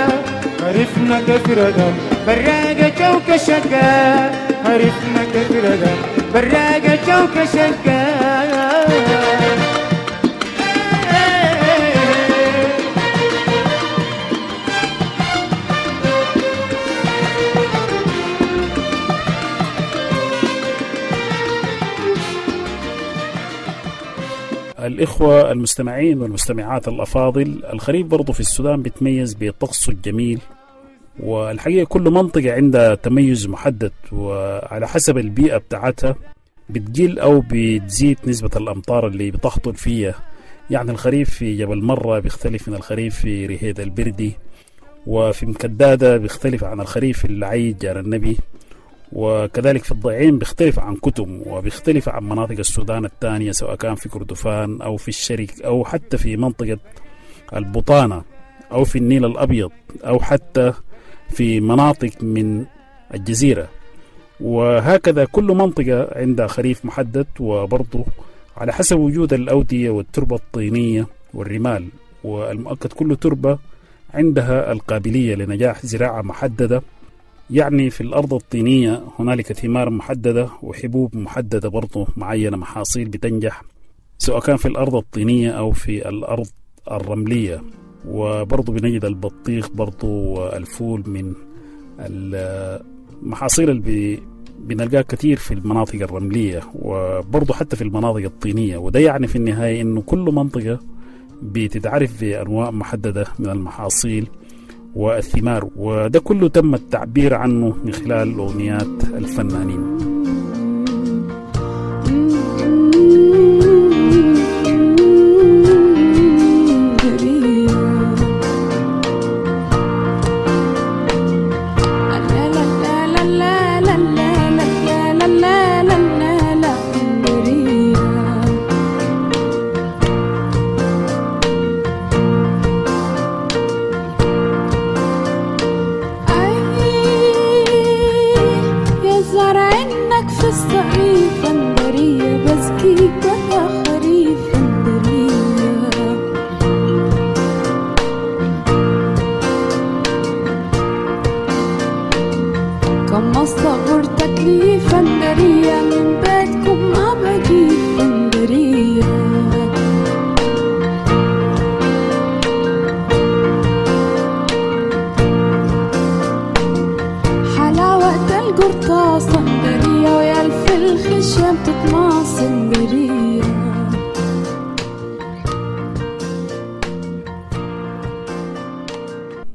خريفنا كفردة براقة جوك شقة، خريفنا كفردة براقة جوك شقة. الإخوة المستمعين والمستمعات الأفاضل، الخريف برضو في السودان بيتميز بطقسه الجميل، والحقيقة كل منطقة عندها تميز محدد، وعلى حسب البيئة بتاعتها بتقل أو بتزيد نسبة الأمطار اللي بتهطل فيها. يعني الخريف في جبل مرة بيختلف من الخريف في رهيد البردي، وفي مكدادة بيختلف عن الخريف في العيد جار النبي، وكذلك في الضعين بيختلف عن كتم، وبيختلف عن مناطق السودان الثانية سواء كان في كردفان أو في الشرق أو حتى في منطقة البطانة أو في النيل الأبيض أو حتى في مناطق من الجزيرة. وهكذا كل منطقة عندها خريف محدد، وبرضه على حسب وجود الأودية والتربة الطينية والرمال. والمؤكد كل تربة عندها القابلية لنجاح زراعة محددة، يعني في الأرض الطينية هنالك ثمار محددة وحبوب محددة برضه معينة، محاصيل بتنجح سواء كان في الأرض الطينية أو في الأرض الرملية. وبرضه بنجد البطيخ برضه والفول من المحاصيل اللي بنلقاها كثير في المناطق الرملية وبرضه حتى في المناطق الطينية. وده يعني في النهاية إنه كل منطقة بتتعرف بأنواع محددة من المحاصيل والثمار، وده كله تم التعبير عنه من خلال أغنيات الفنانين. كم الصبر تكليف النرية من بيتكم ما بجيب بندرية. حلاوة القرطاس صندرية ويا الف الخشم تتماص صندرية.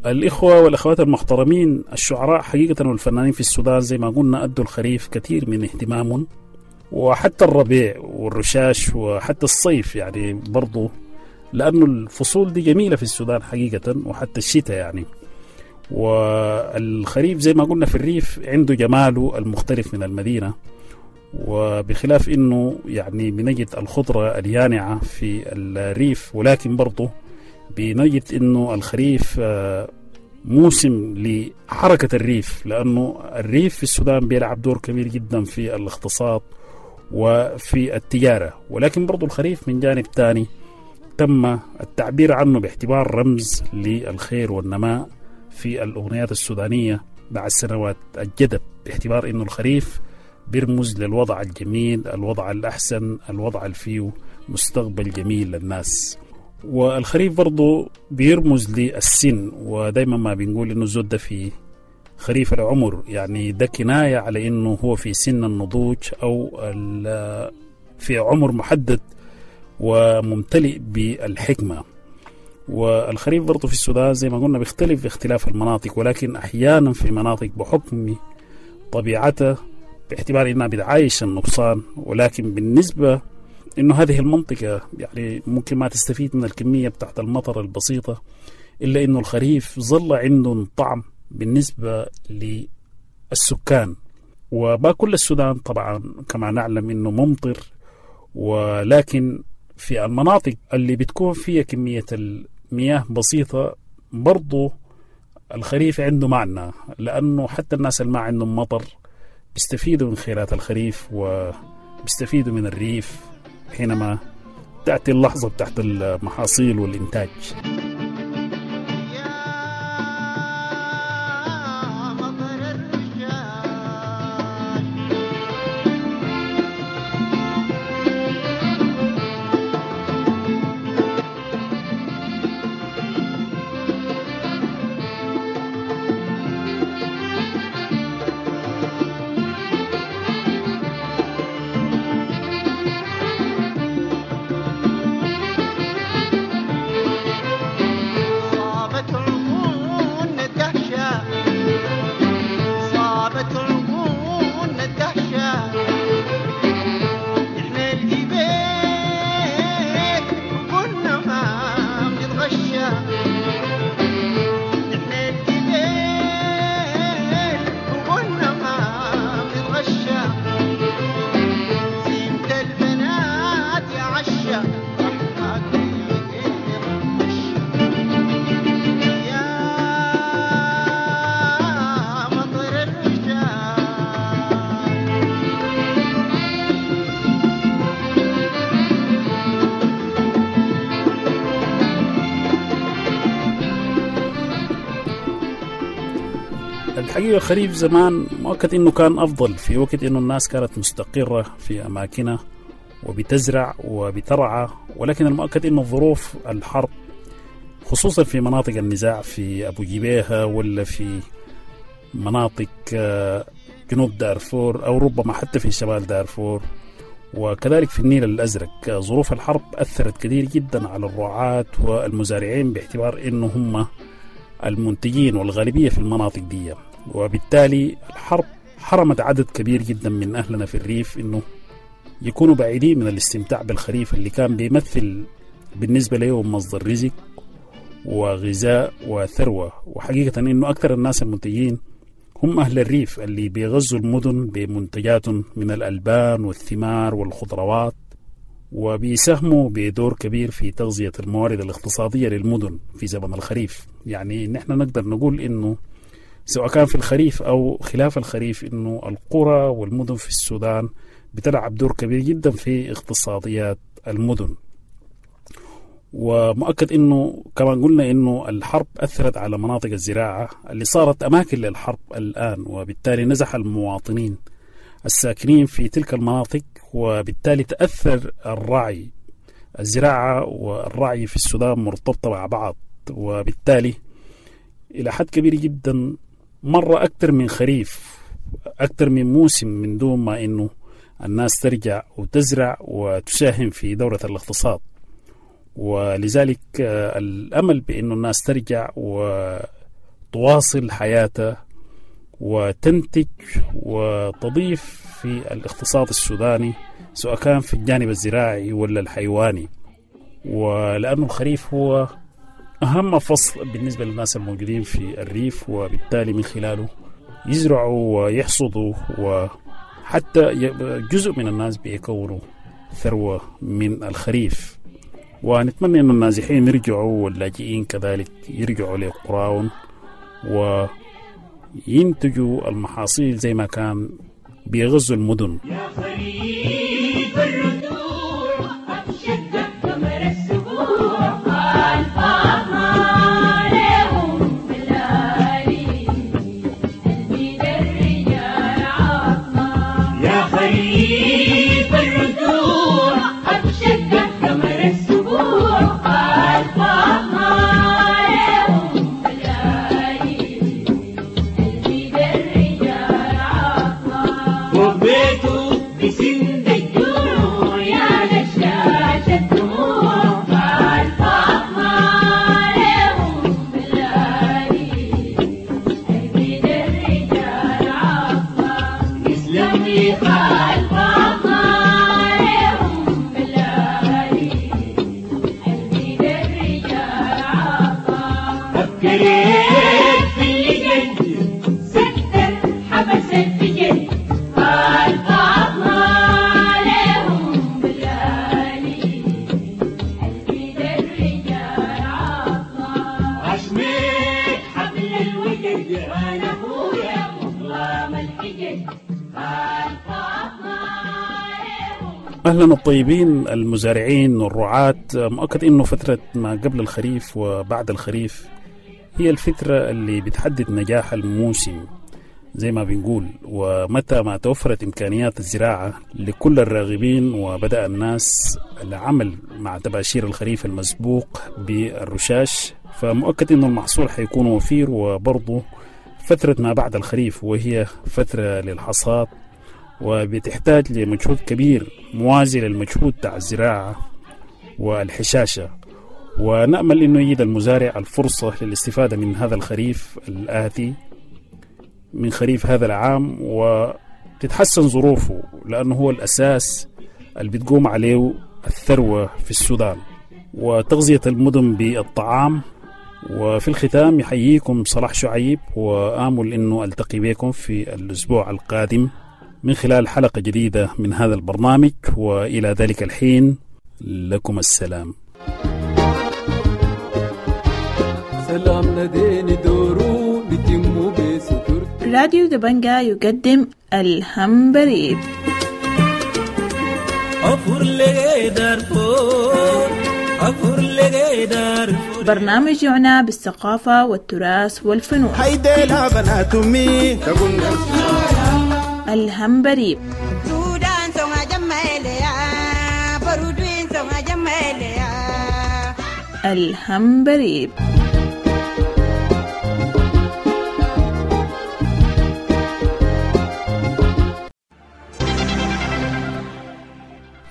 الإخوة والأخوات المحترمين، الشعراء حقيقة والفنانين في السودان زي ما قلنا أدوا الخريف كثير من اهتمامهم، وحتى الربيع والرشاش وحتى الصيف يعني برضو، لأنه الفصول دي جميلة في السودان حقيقة، وحتى الشتاء يعني. والخريف زي ما قلنا في الريف عنده جماله المختلف من المدينة، وبخلاف إنه يعني بنجد الخضرة اليانعة في الريف، ولكن برضو بنجد إنه الخريف موسم لحركة الريف، لأنه الريف في السودان بيلعب دور كبير جدا في الاقتصاد وفي التجارة. ولكن برضو الخريف من جانب تاني تم التعبير عنه باعتبار رمز للخير والنماء في الأغنيات السودانية بعد سنوات الجدب، باعتبار إنه الخريف بيرمز للوضع الجميل، الوضع الأحسن، الوضع اللي فيه مستقبل جميل للناس. والخريف برضو بيرمز للسن، ودايما ما بنقول إنه الزود ده في خريف العمر، يعني ده كناية على إنه هو في سن النضوج أو في عمر محدد وممتلئ بالحكمة. والخريف برضو في السودان زي ما قلنا بيختلف باختلاف المناطق، ولكن أحيانا في مناطق بحكم طبيعتها باعتبار إنها بتعايش النقصان، ولكن بالنسبة إنه هذه المنطقة يعني ممكن ما تستفيد من الكمية بتاعت المطر البسيطة، إلا إنه الخريف ظل عنده طعم بالنسبة للسكان. وما كل السودان طبعا كما نعلم إنه ممطر، ولكن في المناطق اللي بتكون فيها كمية المياه بسيطة برضو الخريف عنده معنى، لأنه حتى الناس اللي ما عندهم مطر بيستفيدوا من خيرات الخريف وبيستفيدوا من الريف حينما تأتي اللحظة بتاعت المحاصيل والإنتاج. الحقيقة الخريف زمان مؤكد إنه كان أفضل، في وقت إنه الناس كانت مستقرة في أماكنها وبتزرع وبترعى، ولكن المؤكد إنه ظروف الحرب خصوصا في مناطق النزاع في أبو جبيهة ولا في مناطق جنوب دارفور أو ربما حتى في شمال دارفور وكذلك في النيل الأزرق، ظروف الحرب أثرت كثير جدا على الرعاة والمزارعين باعتبار إنه هم المنتجين والغالبية في المناطق دي، وبالتالي الحرب حرمت عدد كبير جدا من أهلنا في الريف إنه يكونوا بعيدين من الاستمتاع بالخريف اللي كان بيمثل بالنسبة لهم مصدر رزق وغذاء وثروة. وحقيقة إنه أكثر الناس المنتجين هم أهل الريف اللي بيغزوا المدن بمنتجات من الألبان والثمار والخضروات، وبيساهموا بدور كبير في تغذية الموارد الاقتصادية للمدن في زمن الخريف. يعني نحن نقدر نقول إنه سواء كان في الخريف أو خلاف الخريف إنه القرى والمدن في السودان بتلعب دور كبير جدا في اقتصاديات المدن. ومؤكد أنه كما قلنا أنه الحرب أثرت على مناطق الزراعة اللي صارت أماكن للحرب الآن، وبالتالي نزح المواطنين الساكنين في تلك المناطق، وبالتالي تأثر الرعي. الزراعة والرعي في السودان مرتبطة مع بعض، وبالتالي إلى حد كبير جدا مرة أكثر من خريف، أكثر من موسم، من دون ما أنه الناس ترجع وتزرع وتساهم في دورة الاقتصاد. ولذلك الأمل بأنه الناس ترجع وتواصل حياتها وتنتج وتضيف في الاقتصاد السوداني، سواء كان في الجانب الزراعي ولا الحيواني. ولأنه الخريف هو أهم فصل بالنسبة للناس الموجودين في الريف، وبالتالي من خلاله يزرعوا ويحصدوا، وحتى جزء من الناس بيكونوا ثروة من الخريف. ونتمنى أن النازحين يرجعوا واللاجئين كذلك يرجعوا لقراهم وينتجوا المحاصيل زي ما كان بيغزوا المدن. يا خريف الرجوع أبشدك قمر السبوع، قال فاطمة لهم بالآلي قلبي للرجال عظمة. يا خريف الرجوع أبشدك قمر السبوع، قال فاطمة لهم بالآلي قلبي للرجال عظمة. فوق بيته بسند الجوع يا نشاش الدموع، قال فاطمة لهم بالآلي قلبي للرجال عظمة. يسلم لي قال فاطمة لهم بالآلي قلبي للرجال عظمة. أبكريت في اللي جد ستر حبس الفجر، قال فاطمة لهم بالآلي قلبي للرجال عظمة. عشمت حبل الوجد وانا اخويا مظلام الحجج، قال فاطمة أهلا الطيبين المزارعين والرعاة. مؤكد أنه فترة ما قبل الخريف وبعد الخريف هي الفترة اللي بتحدد نجاح الموسم زي ما بنقول، ومتى ما توفرت إمكانيات الزراعة لكل الراغبين وبدأ الناس العمل مع تباشير الخريف المسبوق بالرشاش، فمؤكد أنه المحصول حيكون وفير. وبرضه فترة ما بعد الخريف وهي فترة للحصاد، وبتحتاج لمجهود كبير موازي للمجهود تاع الزراعة والحشاشة. ونأمل أنه يجد المزارع الفرصة للاستفادة من هذا الخريف الآتي، من خريف هذا العام، وتتحسن ظروفه، لأنه هو الأساس اللي بتقوم عليه الثروة في السودان وتغذية المدن بالطعام. وفي الختام يحييكم صلاح شعيب، وآمل أنه ألتقي بكم في الأسبوع القادم من خلال حلقة جديدة من هذا البرنامج، وإلى ذلك الحين لكم السلام. سلام نديني دورو بتمو بستر. راديو دبنجا يقدم الهمبريب. برنامج يعنى بالثقافة والتراث والفنون. الهمبريب. الهمبريب.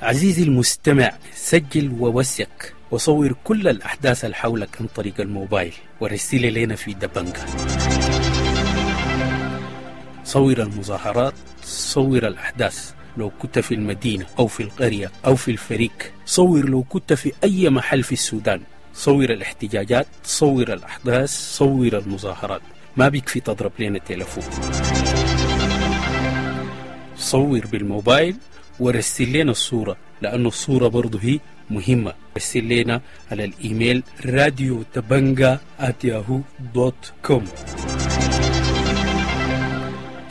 عزيزي المستمع، سجل ووثق وصور كل الأحداث اللي حولك عن طريق الموبايل ورسل لنا في دبنجة. صور المظاهرات، صور الأحداث لو كنت في المدينة أو في القرية أو في الفريق، صور لو كنت في أي محل في السودان، صور الاحتجاجات، صور الأحداث، صور المظاهرات. ما بيكفي تضرب لنا التلفون، صور بالموبايل ورسل لنا الصورة، لأنه الصورة برضو هي مهمة. رسل لنا على الإيميل radiodabanga@yahoo.com.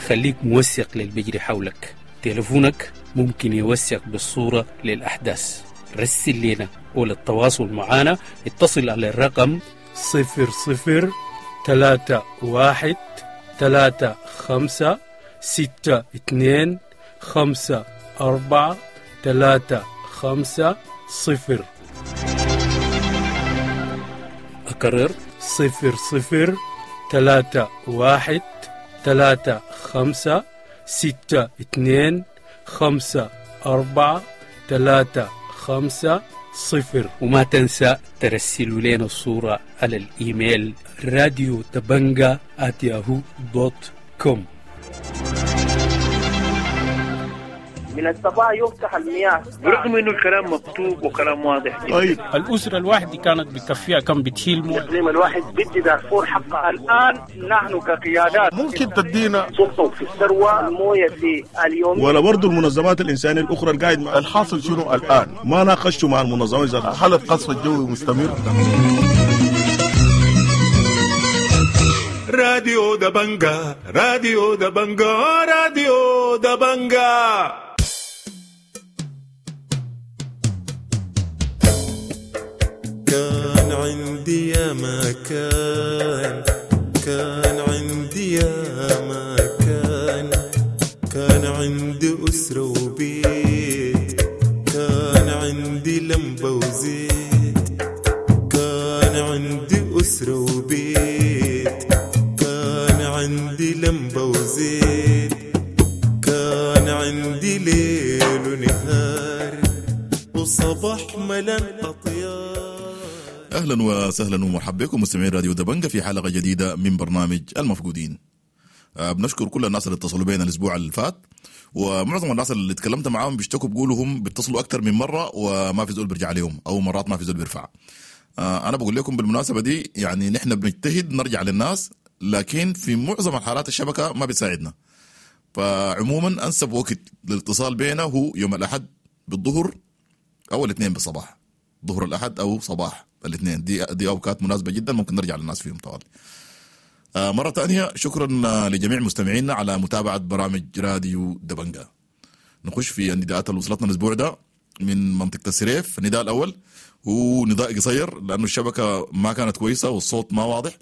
خليك موثق للبجري حولك، تلفونك ممكن يوثق بالصورة للأحداث. رسل لنا، وللتواصل معنا اتصل على الرقم 00 3 1 3 5 6 2 5 4 3 5 0. أكرر 0 0 3 1 3 5 6 2 5 4 3 5 0. وما تنسى ترسلوا لنا الصورة على الإيميل radiodabanga@yahoo.com. من الصباح يفتح المياه برغم انه الكلام مكتوب وكلام واضح جدا. طيب الاسرة الواحدة كانت بكفيها كم بتشيل مويه؟ الاقليم الواحد بدي دارفور حقها. الان نحن كقيادات ممكن تدينا سلطة في الثروة المويه في اليوم، ولا برضه المنظمات الانسانية الاخرى القاعد مع الحاصل شنو الان؟ ما ناقشتوا مع المنظمات ذاتها. هل القصف الجوي مستمر؟ راديو دبنجا، راديو دبنجا، راديو دبنجا. كان عندي يا ما كان، كان عندي يا ما كان، كان عندي أسرة وبيت، كان عندي لمبة وزيت، كان عندي أسرة وبيت، كان عندي لمبة وزيت، كان عندي ليل ونهار وصباح ملان أطيار. اهلا وسهلا ومرحبا بكم مستمعين راديو دبنجة في حلقة جديدة من برنامج المفقودين. بنشكر كل الناس اللي اتصلوا بينا الاسبوع اللي فات، ومعظم الناس اللي اتكلمت معاهم بيشتكوا بيقولوا هم بيتصلوا اكثر من مرة وما في زول بيرجع عليهم، او مرات ما في زول بيرفع. انا بقول لكم بالمناسبة دي، يعني نحن بنجتهد نرجع للناس، لكن في معظم الحالات الشبكة ما بتساعدنا. فعموما انسب وقت للاتصال بينا هو يوم الاحد بالظهر او الاثنين بالصباح، ظهر الاحد او صباح الاثنين، دي اوقات مناسبة جدا ممكن نرجع للناس فيهم طوال. مرة ثانية شكرا لجميع مستمعينا على متابعه برامج راديو دبنجا. نخش في النداءات اللي وصلتنا الاسبوع ده من منطقة السريف. النداء الاول هو نداء قصير لانه الشبكة ما كانت كويسة والصوت ما واضح.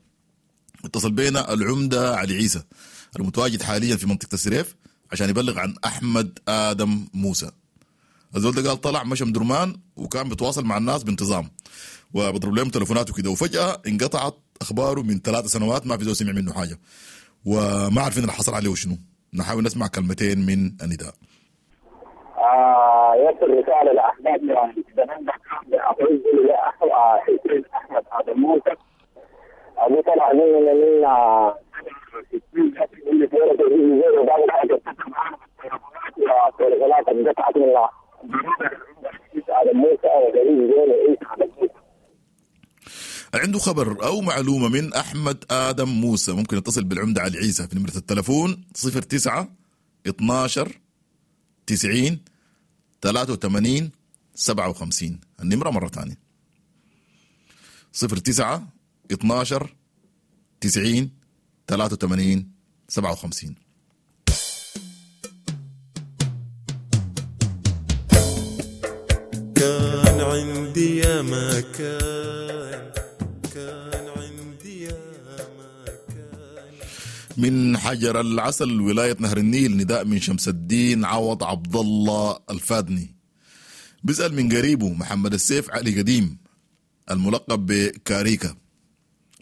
اتصل بينا العمدة علي عيسى المتواجد حاليا في منطقة السريف عشان يبلغ عن احمد ادم موسى. الزول ده قال طلع مشى مدرمان وكان بيتواصل مع الناس بانتظام وبضرب لهم تليفونات وكده، وفجأة انقطعت أخباره من 3 سنوات، ما في زول سمع منه حاجة وما عارفين اللي حصل عليه وشنو. نحاول نسمع كلمتين من النداء. يصل رسالة لأحباب أحمد آدم موسى. أبو طلع من عنده خبر أو معلومة من أحمد آدم موسى ممكن يتصل بالعمدة علي عيسى في نمرة التلفون 09 12 90 83 57. النمرة مرة ثانية 09 12 90 83 57. كان عندي يا ما كان، كان عندي يا ما كان. من حجر العسل ولاية نهر النيل نداء من شمس الدين عوض عبد الله الفادني، بيسأل من قريبه محمد السيف علي قديم الملقب بكاريكا.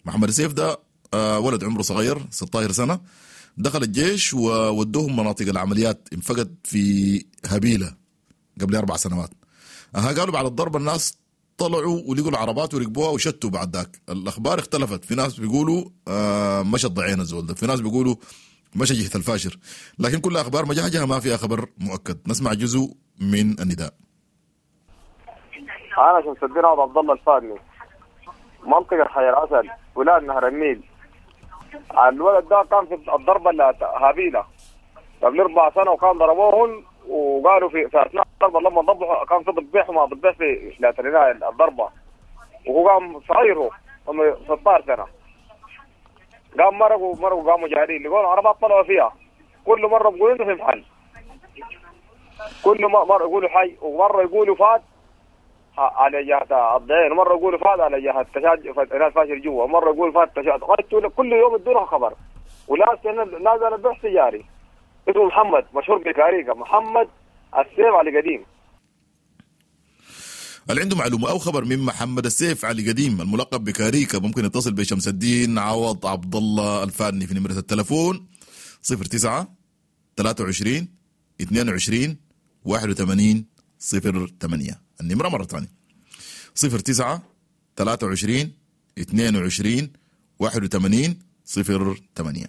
محمد السيف ده ولد عمره صغير 16 سنة، دخل الجيش وودوهم مناطق العمليات، انفقد في هبيلة قبل 4 سنوات. قالوا بعد الضرب الناس طلعوا ولقوا العربات وركبوها وشتوا. بعد ذاك الاخبار اختلفت، في ناس بيقولوا مشى الضعين الزول ده، في ناس بيقولوا مشى جهة الفاشر، لكن كل اخبار مجهجها ما فيها خبر مؤكد. نسمع جزء من النداء. انا شمس الدين عبد الله الفادني، منطقة حي العسل، ولاد نهر النيل. الولد ده كان في الضربة اللي هابيله قبل 4 سنة، وكان ضربوهن وقالوا في اثناء الضربة لما ضبحوا كان في ضبيح وما ضبيح في الضربة، وهو قام صغير، هو 16 سنة. قام مرقوا قاموا جارين لقوا العربات طلعوا فيها، كل مرة بيقولوا انه في محل، كل مرة يقولوا حي ومرة يقولوا فات. على جهة الضعين، مرة يقولوا فات على جهة تشاد ناس فاشل جوا، مرة يقول فات تشاد. كل يوم يدونا خبر، ولا نازل البحث جاري. اسمه محمد، مشهور بكاريكا، محمد السيف علي قديم. اللي عنده معلومة أو خبر من محمد السيف علي قديم الملقب بكاريكا ممكن يتصل بشمس الدين عوض عبد الله الفاني في نمرة التلفون 09 23 22 81 08. النمرة مرة ثانية 09 23 22 81 08.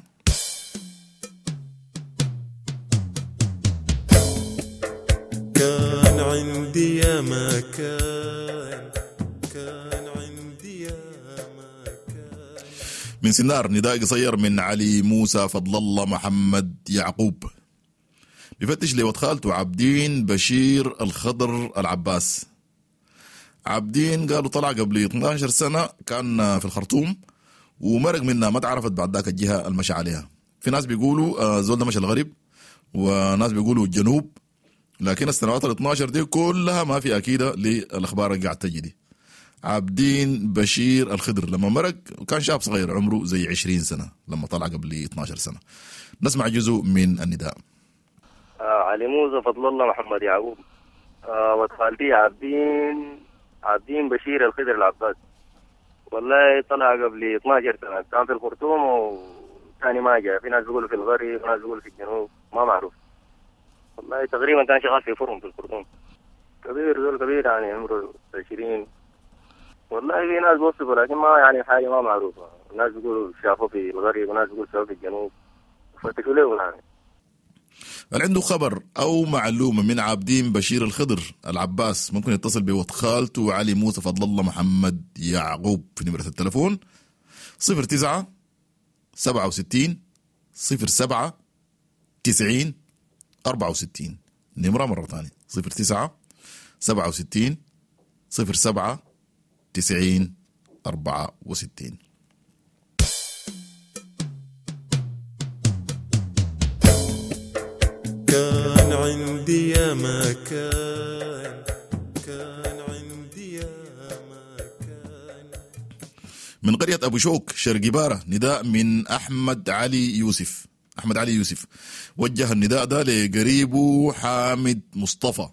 كان عندي يا ما كان، كان عندي يا ما كان. من سنار نداء قصير من علي موسى فضل الله محمد يعقوب، بفتش لود خالته عبدين بشير الخضر العباس. عبدين قالوا طلع قبل 12 سنة، كان في الخرطوم ومرق منها، ما تعرفت بعد ذاك الجهة المشى عليها. في ناس بيقولوا زول ده مشى الغرب، وناس بيقولوا الجنوب، لكن السنوات ال 12 دي كلها ما في أكيدة للأخبار اللي قاعد تجي دي. عبدين بشير الخضر لما مرق كان شاب صغير عمره زي 20 سنة لما طلع قبل 12 سنة. نسمع جزء من النداء. علي موسى فضل الله محمد يعقوب، وخالتي عبدين بشير الخضر العباس. والله طلع قبل 12 سنة، كان في الخرطوم وثاني ما جاء. في ناس بيقولوا في الغرب وناس بيقولوا في الجنوب، ما معروف. والله تقريبا كان شغال في فرن في الخرطوم. كبير، زول كبير يعني عمره 20. والله في ناس بوصفوا لكن ما يعني حاجة ما معروفة. ناس بيقولوا شافوه في الغرب وناس بيقولوا شافوه في الجنوب، فتشوا له يعني. اللي عنده خبر أو معلومة من عابدين بشير الخضر العباس ممكن يتصل بود خالته علي موسى فضل الله محمد يعقوب في نمرة التلفون 09 67 07 90 64. نمرة مرة ثانية 09 67 07 90 64. كان عندي يا ما كان، كان عندي يا ما كان. من قرية أبو شوك شرق بارة نداء من أحمد علي يوسف. أحمد علي يوسف وجه النداء ده لقريبه حامد مصطفى.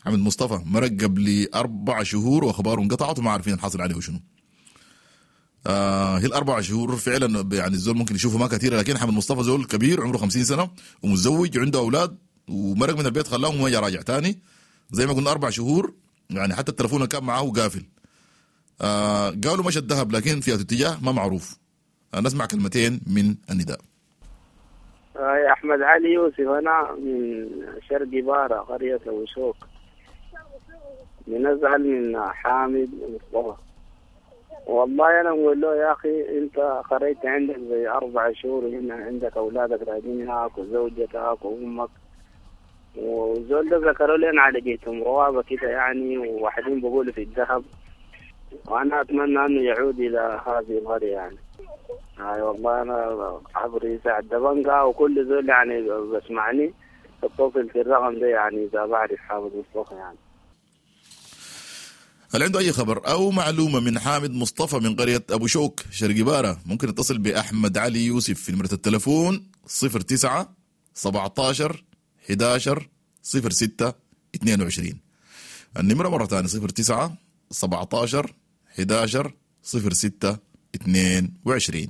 حامد مصطفى مرق قبل 4 شهور وأخباره انقطعت وما عارفين الحاصل عليه وشنو. هي ال4 شهور فعلا يعني الزول ممكن يشوفه ما كثيرة، لكن حامد مصطفى زول كبير عمره 50 سنة ومتزوج وعنده أولاد، ومرق من البيت خلاهم وما راجع تاني. زي ما قلنا 4 شهور يعني، حتى التلفون كان معاه قافل. قالوا مشى الذهب لكن في اتجاه ما معروف. نسمع كلمتين من النداء. يا أحمد علي يوسف، أنا من شرق بارة قرية وشوك، بنزعل من حامد مصطفى. والله أنا أقول له يا أخي أنت قريت عندك زي 4 شهور هنا، عندك أولادك راجعين هناك وزوجتك وأمك، وزول ده ذكروا لي أنا على جيتهم روابة كده يعني، وواحدين بقولوا في الذهب، وأنا أتمنى أنه يعود إلى هذه القرية يعني. هاي والله أنا عبر يساعد دبنجا وكل زول يعني بسمعني اتصل في الرقم ده يعني إذا بعرف حامد مصطفى يعني. هل عنده أي خبر أو معلومة من حامد مصطفى من قرية أبو شوك شرق بارة ممكن يتصل بأحمد علي يوسف في نمرة التلفون 09 17 11 06 22. النمرة مرة ثانية 09 17 11 06 22.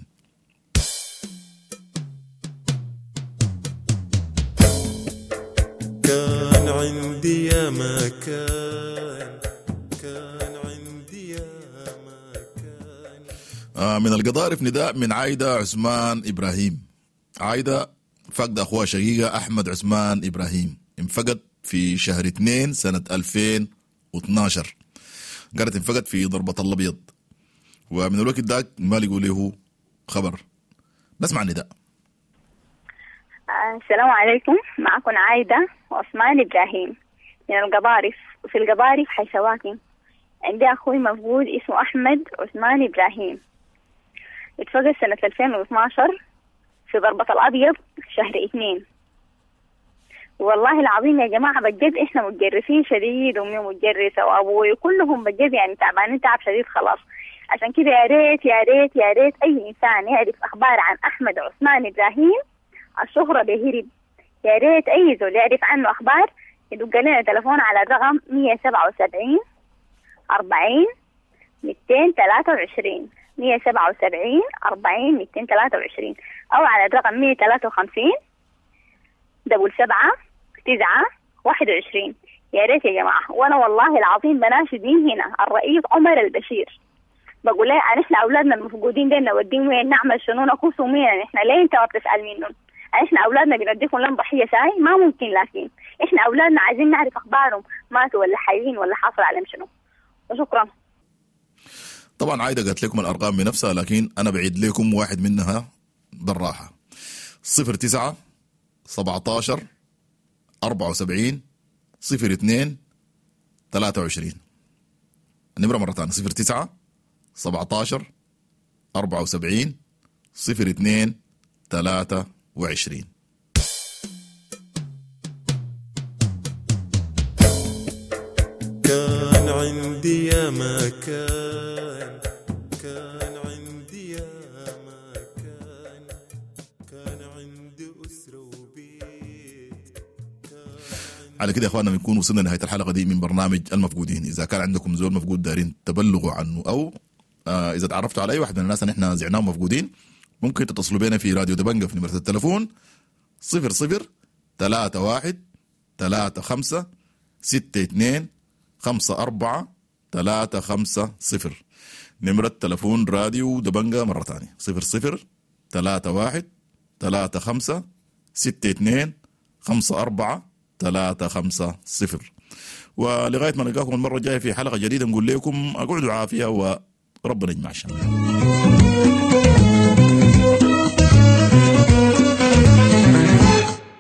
كان عندي يا ما كان، كان عندي يا ما كان. من القضارف نداء من عايدة عثمان إبراهيم. عايدة فقد أخوها شقيقة أحمد عثمان إبراهيم، انفقد في شهر 2 سنة 2012. قالت انفقد في ضربة الأبيض، ومن الوقت ذاك ما لقوا له خبر. نسمع النداء. السلام عليكم، معكم عايدة وعثمان إبراهيم من القضارف. وفي القضارف حي سواكن عندي أخوي مفقود اسمه أحمد عثمان إبراهيم، اتفقد سنة 2012 في ضربة الأبيض شهر 2، والله العظيم يا جماعة بجد احنا متجرسين شديد، امي متجرسة وابوي كلهم بجد يعني تعبانين تعب شديد خلاص. عشان كده يا ريت يا ريت يا ريت اي انسان يعرف اخبار عن احمد عثمان ابراهيم الشهرة بهرب، يا ريت اي زول يعرف عنه اخبار يدق لنا تليفون على الرقم 177 40 223، 177 40 223، او على الرقم 153 77 9 21. يا ريت يا جماعة. وأنا والله العظيم بناشد من هنا الرئيس عمر البشير، بقول له نحن أولادنا المفقودين دين نوديهم وين، نعمل شنو، نكوسوا مين نحن؟ ليه أنت ما بتسأل منهم؟ نحن أولادنا بنديكم لهم ضحية ساي؟ ما ممكن. لكن إحنا أولادنا عايزين نعرف أخبارهم، ماتوا ولا حيين ولا حصل عليهم شنو. وشكرا. طبعا عايدة قالت لكم الأرقام بنفسها، لكن أنا بعيد لكم واحد منها بالراحة. 09 17 74 02 23. النمرة مرة ثانية 09 17 74 02 23. كان عندي يا مكان، كان عندي يا مكان، كان عندي أسرة وبيت. على كده يا اخواننا بنكون وصلنا لنهاية الحلقة دي من برنامج المفقودين. اذا كان عندكم زول مفقود دارين تبلغوا عنه، او اذا تعرفتوا على اي واحد من الناس اللي احنا زعناهم مفقودين، ممكن تتصلوا بينا في راديو دبنجة في نمره التليفون 00 31 35 62 54 350. نمرة تلفون راديو دبنجة مرة ثانية 00 31 35 62 54 350. ولغاية ما نلقاكم المرة الجاية في حلقة جديدة نقول لكم اقعدوا عافية وربنا يجمع الشمل.